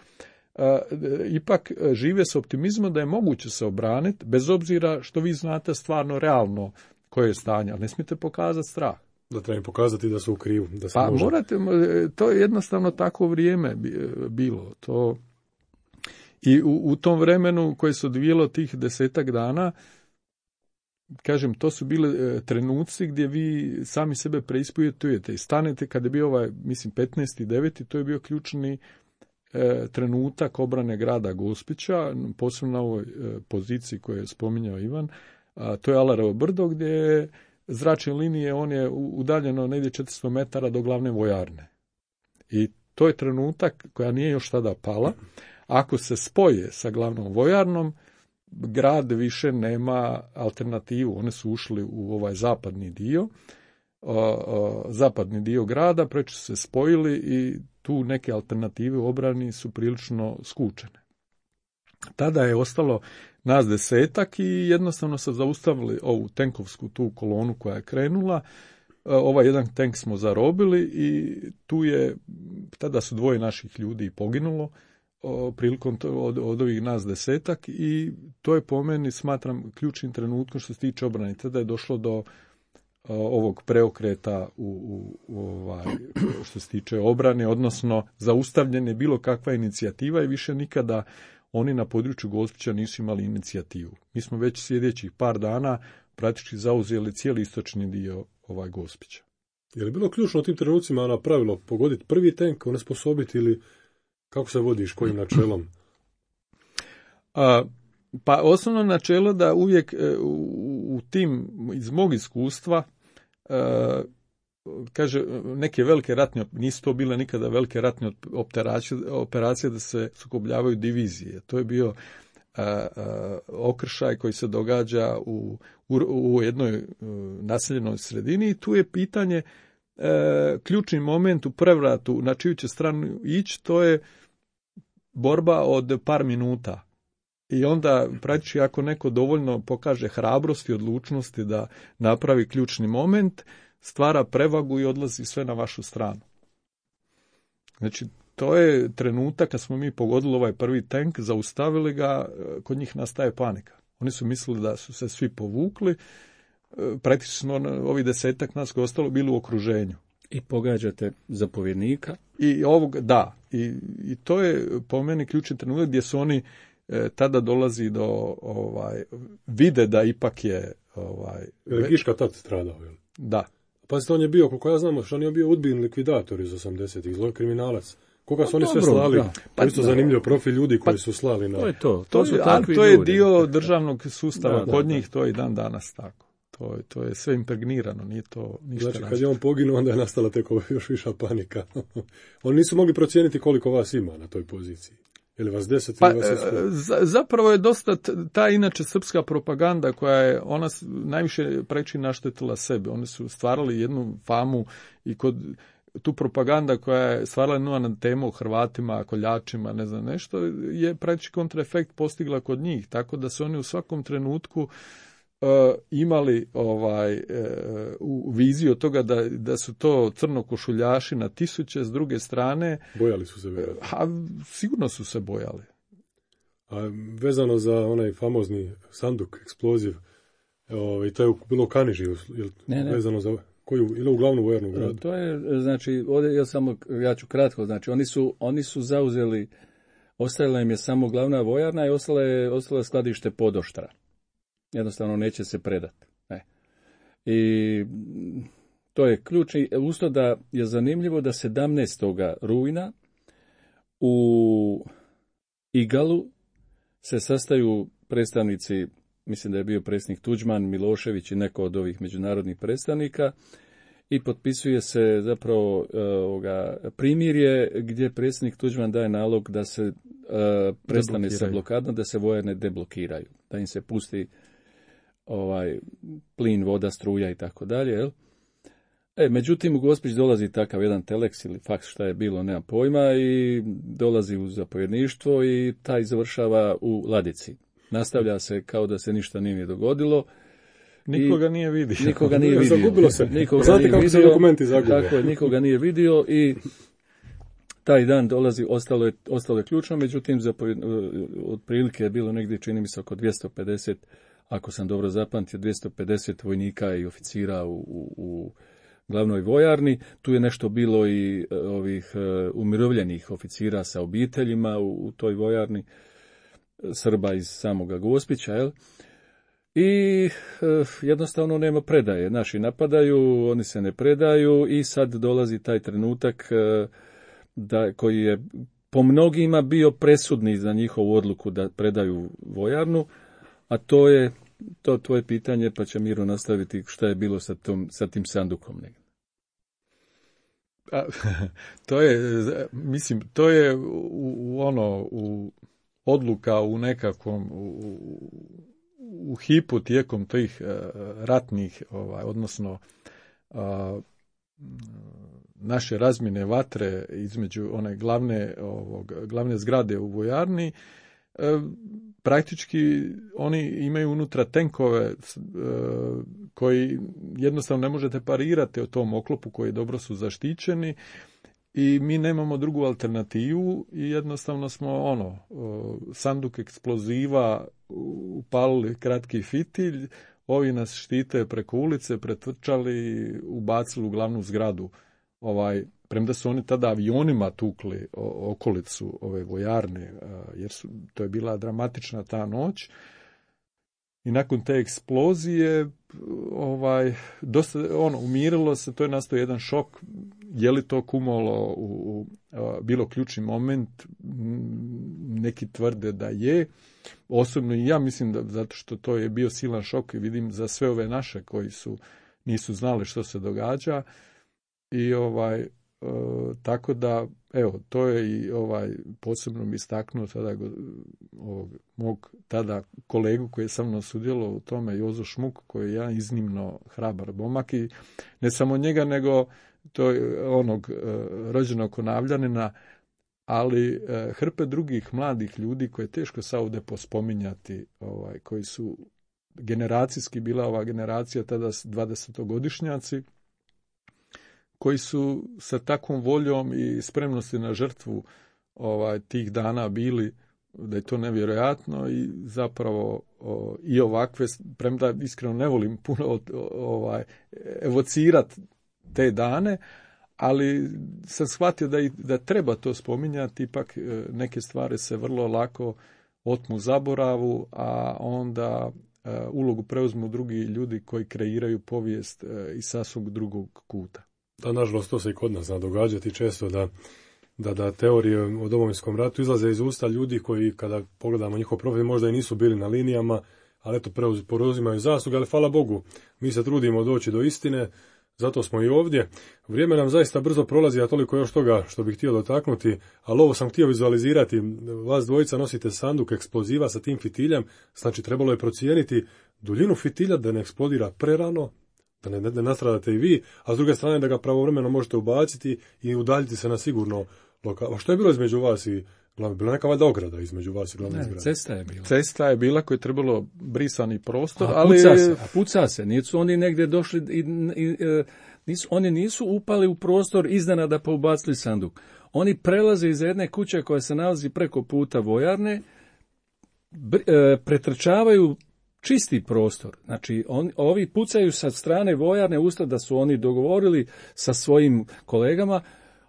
ipak žive s optimizmom da je moguće se obraniti, bez obzira što vi znate stvarno realno koje je stanje, ali ne smijete pokazati strah. Da treba im pokazati da su u krivu. Da se pa može... morate, to je jednostavno tako vrijeme bilo. To... I u tom vremenu koje se odvijelo tih 10 dana, kažem, to su bile trenuci gdje vi sami sebe preispitujete i stanete, kad je bio 15.9., to je bio ključni trenutak obrane grada Gospića, posebno na ovoj poziciji koju je spominjao Ivan, to je Alarevo brdo, gdje je zračne linije, on je udaljeno negdje 400 metara do glavne vojarne. I to je trenutak koja nije još tada pala. Ako se spoje sa glavnom vojarnom, grad više nema alternativu. One su ušli u ovaj zapadni dio grada, preče su se spojili i tu neke alternative u obrani su prilično skučene. Tada je ostalo nas 10 i jednostavno se zaustavili ovu tenkovsku tu kolonu koja je krenula. Ovaj jedan tank smo zarobili i tu je, tada su 2 naših ljudi poginulo prilikom od ovih nas 10 i to je po meni, smatram, ključnim trenutkom što se tiče obrane. Tada je došlo do ovog preokreta što se tiče obrane, odnosno zaustavljene bilo kakva inicijativa i više nikada oni na području Gospića nisu imali inicijativu. Mi smo već sljedećih par dana praktički zauzeli cijeli istočni dio Gospića. Je li bilo ključno u tim trenucima na pravilo pogoditi prvi tank, onesposobiti ili kako se vodiš, kojim načelom? Pa osnovno načelo da uvijek u tim, iz mog iskustva, kaže, neke velike ratne, nisu to bile nikada velike ratne operacije da se sukobljavaju divizije. To je bio okršaj koji se događa u jednoj naseljenoj sredini i tu je pitanje, ključni moment u prevratu na čiju će stranu ići, to je borba od par minuta. I onda, praktički, ako neko dovoljno pokaže hrabrosti i odlučnosti da napravi ključni moment, stvara prevagu i odlazi sve na vašu stranu. Znači, to je trenutak kad smo mi pogodili ovaj prvi tank, zaustavili ga, kod njih nastaje panika. Oni su mislili da su se svi povukli, praktički smo ovih 10 nas koji ostalo bili u okruženju. I pogađate zapovjednika. I I to je po meni ključni trenutak gdje su oni tada dolazi do vide da ipak je Giška tad stradao, jel? Da. Pazite, on je bio, koliko ja znam, što on je bio udbin likvidator iz 80-ih, zloj kriminalac. Koga su oni sve slali? Pa isto zanimljiv profil ljudi koji su slali na... To je dio državnog sustava kod njih, to je i dan danas tako. To je sve impregnirano, nije to ništa. Znači, kad je on poginuo, onda je nastala tek još viša panika. Oni nisu mogli procijeniti koliko vas ima na toj poziciji. Ili vas 10 ili vas 100? Zapravo je dosta ta inače srpska propaganda koja je, ona najviše preči naštetila sebe. Oni su stvarali jednu famu i kod tu propaganda koja je stvarala na temu o Hrvatima, koljačima, ne znam nešto, je praktički kontraefekt postigla kod njih. Tako da su oni u svakom trenutku imali u viziju toga da su to crnokošuljaši na tisuće, s druge strane... Bojali su se vjerojatno. Sigurno su se bojali. A vezano za onaj famozni sanduk, eksploziv, to je bilo u Kaniži, ne. Vezano za... Koju, ili u glavnu vojarnu gradu? To je, znači, ovdje ja ću kratko, znači, oni su zauzeli, ostala im je samo glavna vojarna i ostalo je skladište podoštra. Jednostavno neće se predati. I to je ključni, usto da je zanimljivo da 17. rujna u Igalu se sastaju predstavnici, mislim da je bio predsjednik Tuđman, Milošević i neko od ovih međunarodnih predstavnika i potpisuje se zapravo primirje gdje predsjednik Tuđman daje nalog da se prestane sa blokadom, da se vojarne deblokiraju, da im se pusti plin, voda, struja i tako dalje. Međutim, u Gospić dolazi takav jedan teleks ili faks, šta je bilo, nema pojma, i dolazi u zapovjedništvo i taj završava u ladici. Nastavlja se kao da se ništa nije dogodilo. Nikoga nije vidio. Nikoga nije vidio. Zagubilo se. Znate kako se dokumenti zagube. Tako je, nikoga nije vidio i taj dan dolazi, ostalo je ključno, međutim, otprilike je bilo negdje, čini mi se, oko 250, ako sam dobro zapamtio, 250 vojnika i oficira u glavnoj vojarni. Tu je nešto bilo i ovih umirovljenih oficira sa obiteljima u toj vojarni, Srba iz samoga Gospića, jel? I jednostavno nema predaje. Naši napadaju, oni se ne predaju i sad dolazi taj trenutak koji je po mnogima bio presudni za njihovu odluku da predaju vojarnu, a to je tvoje pitanje, pa će Miro nastaviti šta je bilo sa tim sandukom. To je u odluka u nekakvom u hipu tijekom tih ratnih, odnosno naše razmjene vatre između one glavne zgrade u vojarni, praktički oni imaju unutra tenkove koji jednostavno ne možete parirati o tom oklopu koji dobro su zaštićeni i mi nemamo drugu alternativu i jednostavno smo sanduk eksploziva upalili kratki fitilj, ovi nas štite preko ulice, pretrčali, ubacili u glavnu zgradu. Premda su oni tada avionima tukli okolicu ove vojarne, jer to je bila dramatična ta noć. I nakon te eksplozije dosta umirilo se, to je nastao jedan šok. Je li to kumalo bilo ključni moment? Neki tvrde da je. Osobno i ja mislim da zato što to je bio silan šok i vidim za sve ove naše koji nisu znali što se događa. I tako da, evo, to je i posebno mi istaknuo tada mog tada kolegu koji je sa mnom sudjelovao u tome, Jozo Šmuk, koji je jedan iznimno hrabar momak i ne samo njega, nego to je rođenog Konavljanina, ali hrpe drugih mladih ljudi koje je teško sad ovdje pospominjati, koji su generacijski bila ova generacija tada 20-godišnjaci, koji su sa takvom voljom i spremnosti na žrtvu tih dana bili, da je to nevjerojatno i zapravo i ovakve, premda iskreno ne volim puno evocirati te dane, ali sam shvatio da treba to spominjati, ipak neke stvari se vrlo lako otmu zaboravu, a onda ulogu preuzmu drugi ljudi koji kreiraju povijest iz sasvog drugog kuta. Da, nažalost, to se i kod nas zna događati često da teorije o Domovinskom ratu izlaze iz usta ljudi koji, kada pogledamo njihov profil, možda i nisu bili na linijama, ali eto, preuzimaju zasluge, ali hvala Bogu, mi se trudimo doći do istine, zato smo i ovdje. Vrijeme nam zaista brzo prolazi, a toliko još toga što bih htio dotaknuti, ali ovo sam htio vizualizirati. Vas dvojica nosite sanduk eksploziva sa tim fitiljem, znači trebalo je procijeniti duljinu fitilja da ne eksplodira prerano, da ne nastradate i vi, a s druge strane da ga pravovremeno možete ubaciti i udaljiti se na sigurno lokal. A što je bilo između vas i glavne? Bila neka valjda ograda između vas i glavne zgrade? Cesta je bila koja je trebalo brisani prostor, ali puca se. Nisu oni negdje došli oni nisu upali u prostor iznenada pa ubacili sanduk. Oni prelaze iz jedne kuće koja se nalazi preko puta vojarne, pretrčavaju čisti prostor. Znači, ovi pucaju sa strane vojarne usta da su oni dogovorili sa svojim kolegama,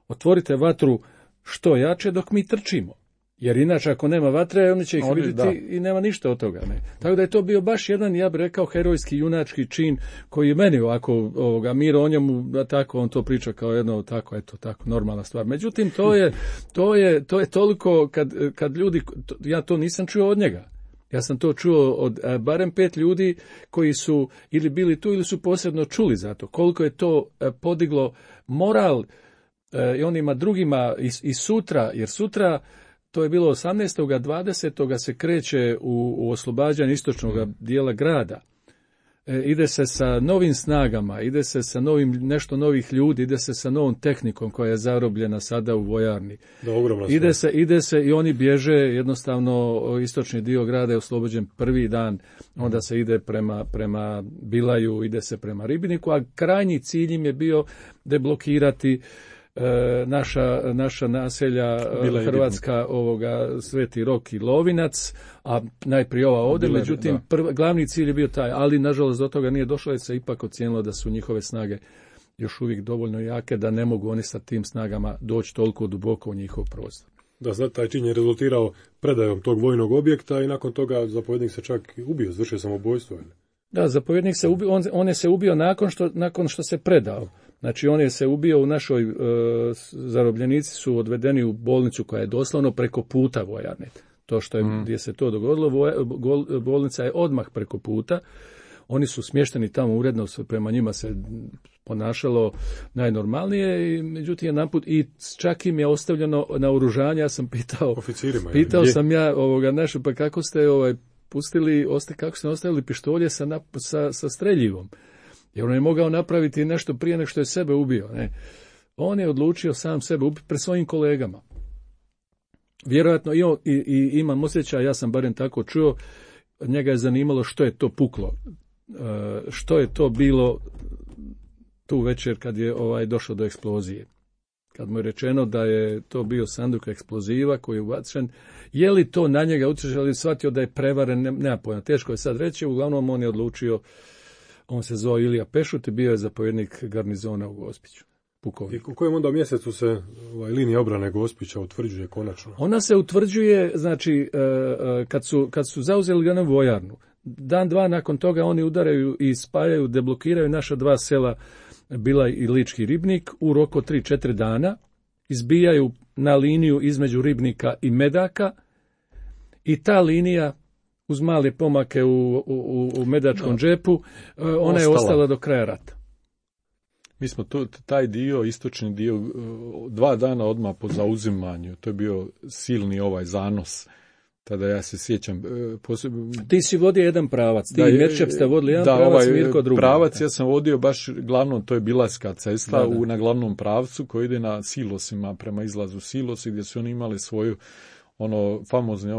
otvorite vatru što jače dok mi trčimo. Jer inače ako nema vatre, oni će ih vidjeti i nema ništa od toga. Ne. Tako da je to bio baš jedan, ja bih rekao, herojski, junački čin koji je meni ovako, Miro o njemu, tako on to priča kao jedno tako, eto, tako, normalna stvar. Međutim, to je toliko, kad ljudi, ja to nisam čuo od njega. Ja sam to čuo od barem 5 ljudi koji su ili bili tu ili su posebno čuli za to. Koliko je to podiglo moral i onima drugima i sutra, jer sutra to je bilo 18. 20. se kreće u oslobađanje istočnog dijela grada. Ide se sa novim snagama, ide se sa nešto novih ljudi, ide se sa novom tehnikom koja je zarobljena sada u vojarni. Ide se i oni bježe, jednostavno istočni dio grada je oslobođen prvi dan, onda se ide prema Bilaju, ide se prema Ribniku, a krajnji cilj im je bio deblokirati naša naselja Hrvatska, Sveti Rok i Lovinac, a najprije ova ovdje, međutim glavni cilj je bio taj, ali nažalost do toga nije došlo, jer se ipak ocijenilo da su njihove snage još uvijek dovoljno jake da ne mogu oni sa tim snagama doći toliko duboko u njihov prostor. Da, sad taj čin je rezultirao predajom tog vojnog objekta i nakon toga zapovjednik se čak ubio, izvršio samobojstvo. Da, zapovjednik se ubio, on je se ubio nakon što se predao. Znači, on je se ubio u našoj, zarobljenici su odvedeni u bolnicu koja je doslovno preko puta vojarne. To što je, gdje se to dogodilo, bolnica je odmah preko puta. Oni su smješteni tamo uredno, prema njima se ponašalo najnormalnije, i međutim jedanput i čak im je ostavljeno naoružanje. Ja sam pitao sam ja naše, pa kako ste pustili, kako ste ostavili pištolje sa streljivom? Jer on je mogao napraviti nešto prije nego što je sebe ubio. Ne? On je odlučio sam sebe ubiti pred svojim kolegama. Vjerojatno i imam osjećaj, ja sam barem tako čuo, njega je zanimalo što je to puklo. Što je to bilo tu večer kad je došlo do eksplozije. Kad mu je rečeno da je to bio sanduk eksploziva koji je ubačen, je li to na njega utjecalo ili shvatio da je prevaren, nema pojma. Teško je sad reći, uglavnom on je odlučio. On se zvao Ilija Pešut i bio je zapovjednik garnizona u Gospiću. Pukovnik. I u kojem onda mjesecu se linija obrane Gospića utvrđuje konačno? Ona se utvrđuje, znači, kad su zauzeli glavnu vojarnu. Dan, dva nakon toga oni udaraju i spajaju, deblokiraju naša 2 sela, Bilaj i Lički Ribnik, u roku 3-4 dana. Izbijaju na liniju između Ribnika i Medaka i ta linija, uz male pomake u Medačkom džepu, ona je ostala do kraja rata. Mi smo taj dio, istočni dio, 2 dana odmah po zauzimanju, to je bio silni zanos. Tada ja se sjećam. Ti si vodio jedan pravac, ti i Merčep ste vodili jedan pravac, Mirko drugi. Pravac ja sam vodio baš glavno, to je Bilarska cesta na glavnom pravcu koji ide na silosima, prema izlazu silosi, gdje su oni imali svoju famozni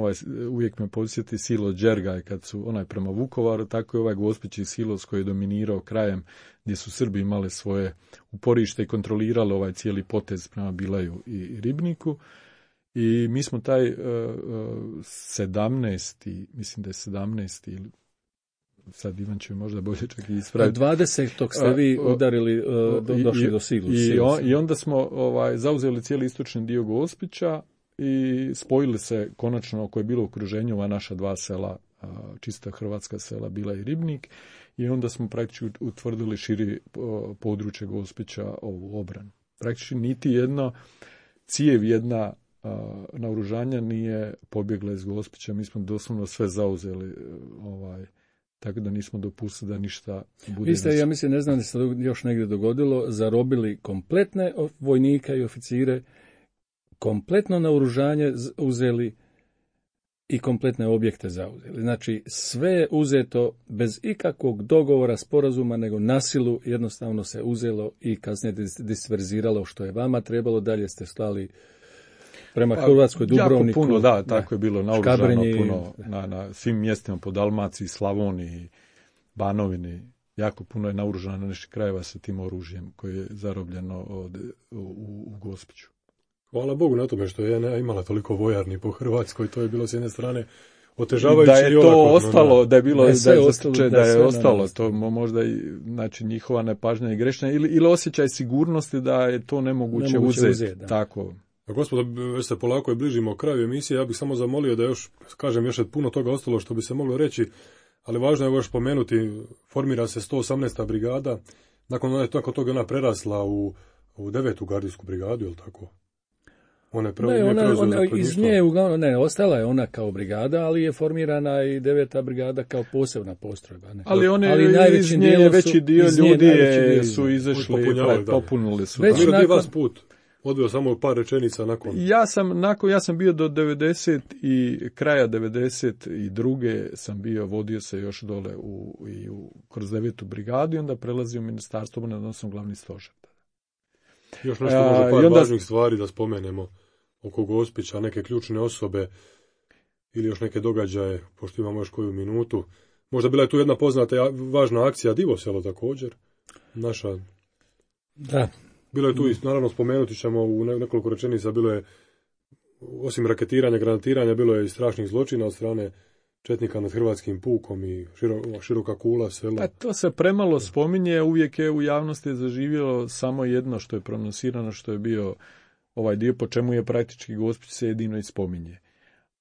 uvijek me podsjeti silo Đergaj kad su prema Vukovaru, tako je Gospići silos koji je dominirao krajem gdje su Srbi imali svoje uporište i kontrolirali cijeli potez prema Bilaju i Ribniku. I mi smo taj 17. mislim da je 17. ili sad Ivan će možda bolje čak i ispraviti. 20. ste vi udarili, došli do silusa. I onda smo zauzeli cijeli istočni dio Gospića i spojili se konačno, koje je bilo u okruženju ova naša 2 sela, čista hrvatska sela Bila i Ribnik, i onda smo praktički utvrdili širi područje Gospića ovu obranu. Praktički niti jedna cijev, jedna naoružanja nije pobjegla iz Gospića, mi smo doslovno sve zauzeli, tako da nismo dopustili da ništa bude. Vi ste, ja mislim, ne znam da se još negdje dogodilo, zarobili kompletne vojnika i oficire, kompletno naoružanje uzeli i kompletne objekte zauzeli. Znači, sve je uzeto bez ikakvog dogovora, sporazuma, nego na silu jednostavno se uzelo i kasnije disperziralo što je vama trebalo. Dalje ste slali prema Hrvatskoj, Dubrovniku. Jako puno, tako je bilo naoružano puno na svim mjestima po Dalmaciji, Slavoniji, Banovini. Jako puno je naoružano na naših krajeva sa tim oružjem koje je zarobljeno u Gospiću. Hvala Bogu na tome što je imala toliko vojarni po Hrvatskoj, to je bilo s jedne strane otežavajuće da je to ostalo, da je bilo da je ostalo, to možda i znači njihova nepažnja i grešna ili osjećaj sigurnosti da je to nemoguće uzeti. Tako. Gospodo, već se polako i bližimo kraju emisije, ja bih samo zamolio da još je puno toga ostalo što bi se moglo reći, ali važno je još pomenuti, formira se 118. brigada, nakon toga ona prerasla u 9. gardijsku brigadu, je li tako? Ona iz nje uglavnom ostala je ona kao brigada, ali je formirana i 9. brigada kao posebna postrojba. Ne? Ali iz nje veći dio ljudi su izašli, popunili su. Već nakon vas put. Odveo samo par rečenica nakon. Ja sam bio do 90 i kraja 92. sam bio, vodio se još dole kroz 9. brigadu i onda prelazio u ministarstvo obrane, odnosno glavni stožer. Još nešto možda par važnih stvari da spomenemo oko Gospića, neke ključne osobe ili još neke događaje, pošto imamo još koju minutu. Možda bila je tu jedna poznata važna akcija Divoselo također. Naša. Da. Bilo je tu i naravno spomenuti ćemo u nekoliko rečenica, bilo je osim raketiranja, granatiranja, bilo je i strašnih zločina od strane četnika nad hrvatskim pukom i široka kula sela. Pa to se premalo spominje, uvijek je u javnosti zaživjelo samo jedno što je pronosirano, što je bio ovaj dio po čemu je praktički Gospić se jedino i spominje.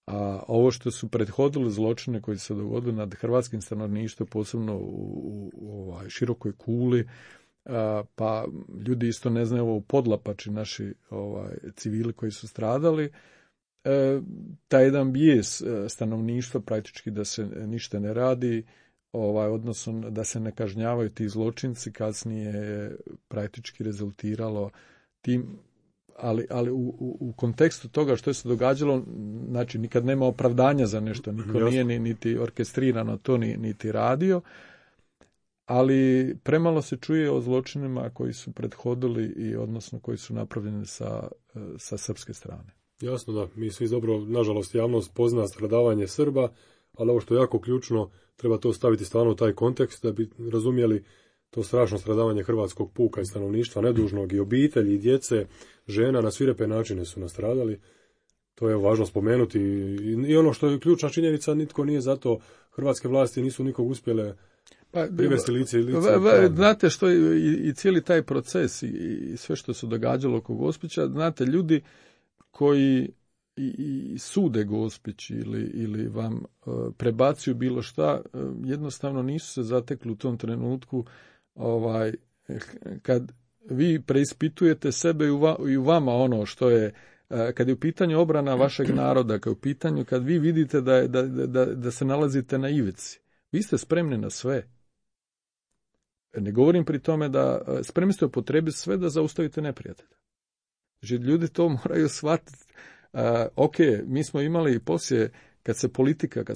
A ovo što su prethodili zločine koji se dogodili nad hrvatskim stanovništvom, posebno u širokoj kuli, pa ljudi isto ne znaju u Podlapači, naši civili koji su stradali, taj jedan bijes stanovništva praktički da se ništa ne radi, odnosno da se ne kažnjavaju ti zločinci, kasnije je praktički rezultiralo tim, ali u kontekstu toga što je se događalo, znači nikad nema opravdanja za nešto, niko nije niti orkestrirano to niti radio, ali premalo se čuje o zločinima koji su prethodili i odnosno koji su napravljeni sa srpske strane. Jasno da, mi svi dobro, nažalost, javnost pozna stradavanje Srba, ali ovo što je jako ključno, treba to staviti stvarno u taj kontekst da bi razumjeli to strašno stradavanje hrvatskog puka i stanovništva nedužnog i obitelji i djece, žena na svirepe načine su nastradali. To je važno spomenuti i ono što je ključna činjenica, nitko nije zato, hrvatske vlasti nisu nikog uspjele privesti lice. Znate što i cijeli taj proces i sve što se događalo oko Gospića, znate, ljudi koji i sude Gospić ili vam prebacuju bilo šta, jednostavno nisu se zatekli u tom trenutku kad vi preispitujete sebe i u vama ono što je, kad je u pitanju obrana vašeg naroda, kad vi vidite da se nalazite na ivici, vi ste spremni na sve. Ne govorim pri tome da spremni ste upotrebiti sve da zaustavite neprijatelja. Znači, ljudi to moraju shvatiti. Ok, mi smo imali poslije, kad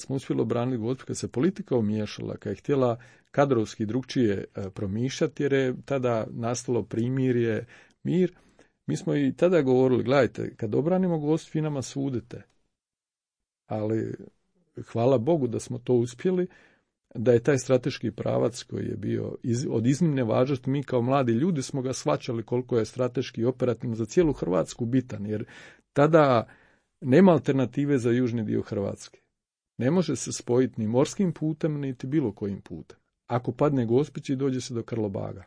smo uspjeli obraniti Gospić, kad se politika umiješala, kad je htjela kadrovski drugčije promišljati, jer je tada nastalo primirje, mir, mi smo i tada govorili, gledajte, kad obranimo Gospić, vi nama sudite. Ali hvala Bogu da smo to uspjeli, da je taj strateški pravac koji je bio od iznimne važnosti, mi kao mladi ljudi smo ga shvaćali koliko je strateški i operativno za cijelu Hrvatsku bitan, jer tada nema alternative za južni dio Hrvatske. Ne može se spojiti ni morskim putem, niti bilo kojim putem. Ako padne Gospić i dođe se do Karlobaga.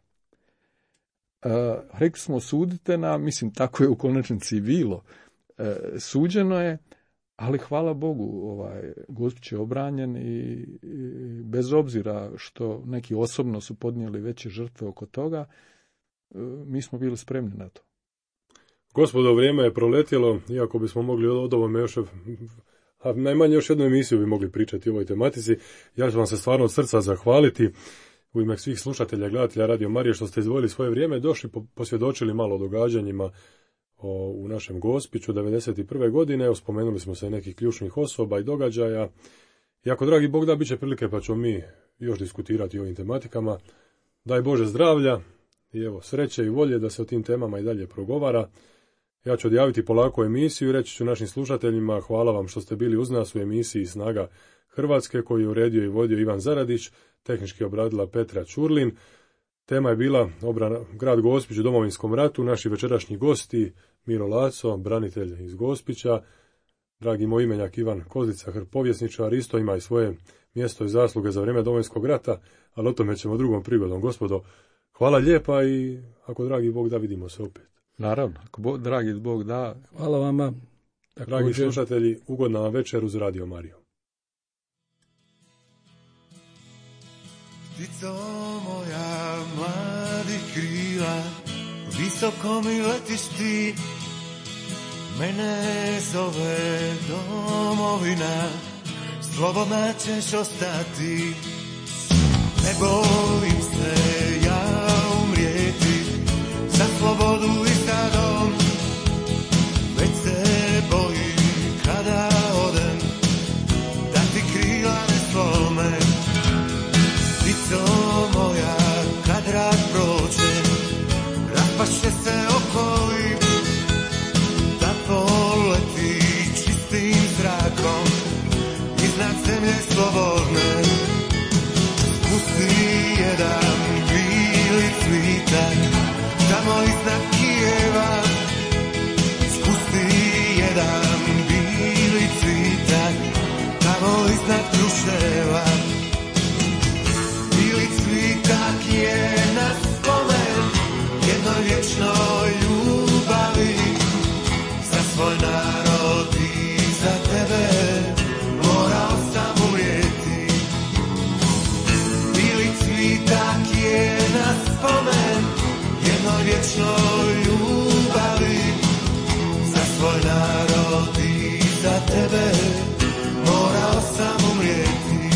Rekli smo, sudite nam, mislim, tako je u konačnici bilo. Suđeno je, ali hvala Bogu, Gospić je obranjen i bez obzira što neki osobno su podnijeli veće žrtve oko toga, mi smo bili spremni na to. Gospodo, vrijeme je proletjelo, iako bismo mogli od ovome još, najmanje još jednu emisiju bi mogli pričati o ovoj tematici. Ja ću vam se stvarno od srca zahvaliti u ime svih slušatelja i gledatelja Radio Marije što ste izdvojili svoje vrijeme, došli, posvjedočili malo o događanjima u našem Gospiću 1991. godine. Spomenuli smo se nekih ključnih osoba i događaja. I ako, dragi Bog da, bit će prilike pa ćemo mi još diskutirati o ovim tematikama. Daj Bože zdravlja i evo sreće i volje da se o tim temama i dalje progovara. Ja ću odjaviti polako emisiju i reći ću našim slušateljima hvala vam što ste bili uz nas u emisiji Snaga Hrvatske koju je uredio i vodio Ivan Zaradić, tehnički obradila Petra Ćurlin. Tema je bila obrana grad Gospić u Domovinskom ratu. Naši večerašnji gosti Miro Laco, branitelj iz Gospića, dragi moj imenjak Ivan Kozica, povjesničar, isto ima i svoje mjesto i zasluge za vrijeme Domovinskog rata, ali o tome ćemo drugom prigodom. Gospodo, hvala lijepa i ako dragi Bog da, vidimo se opet. Naravno, ako dragi Bog da. Hvala vama. Dragi slušatelji, ugodna vam večer uz Radio Mariju. Ptico moja mladih krila, visoko mi letiš ti, mene zove domovina, slobodna ćeš ostati. Ne bojim se ja umrijeti, za slobodu i za dom, već se bojim kada odem, da ti krila ne slome. Ptico moja, kad rat prođe, raspaše se okoli, da poleti čistim zrakom iznad zemlje slobodne. Spusti jedan bili cvitak tamo iznad Kijeva, spusti jedan bili cvitak tamo iznad Kruševa. Bili cvitak je na spomen jednoj vječnoj ljubavi, za svoj narod i za tebe morao sam umrijeti. Bili cvitak je na spomen jednoj vječnoj ljubavi, za svoj narod i za tebe morao sam umrijeti.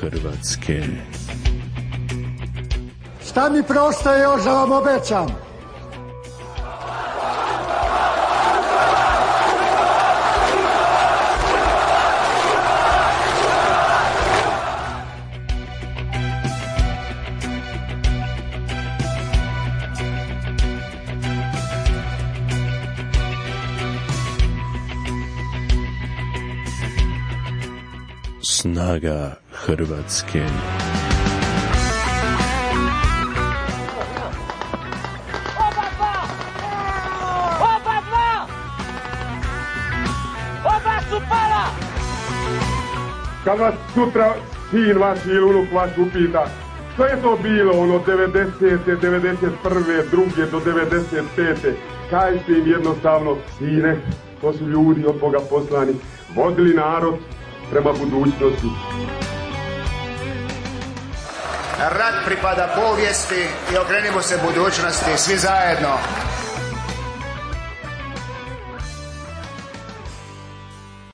Hrvatske. Šta mi preostaje još da vam obećam? Snaga Hrvatske. Kad vas sutra sin vaš ili unuk vaš upita što je to bilo ono 90. 91. 2. do 95. Kažite im jednostavno, sine, to su ljudi od Boga poslani, vodili narod prema budućnosti. Rat pripada povijesti i okrenimo se budućnosti svi zajedno.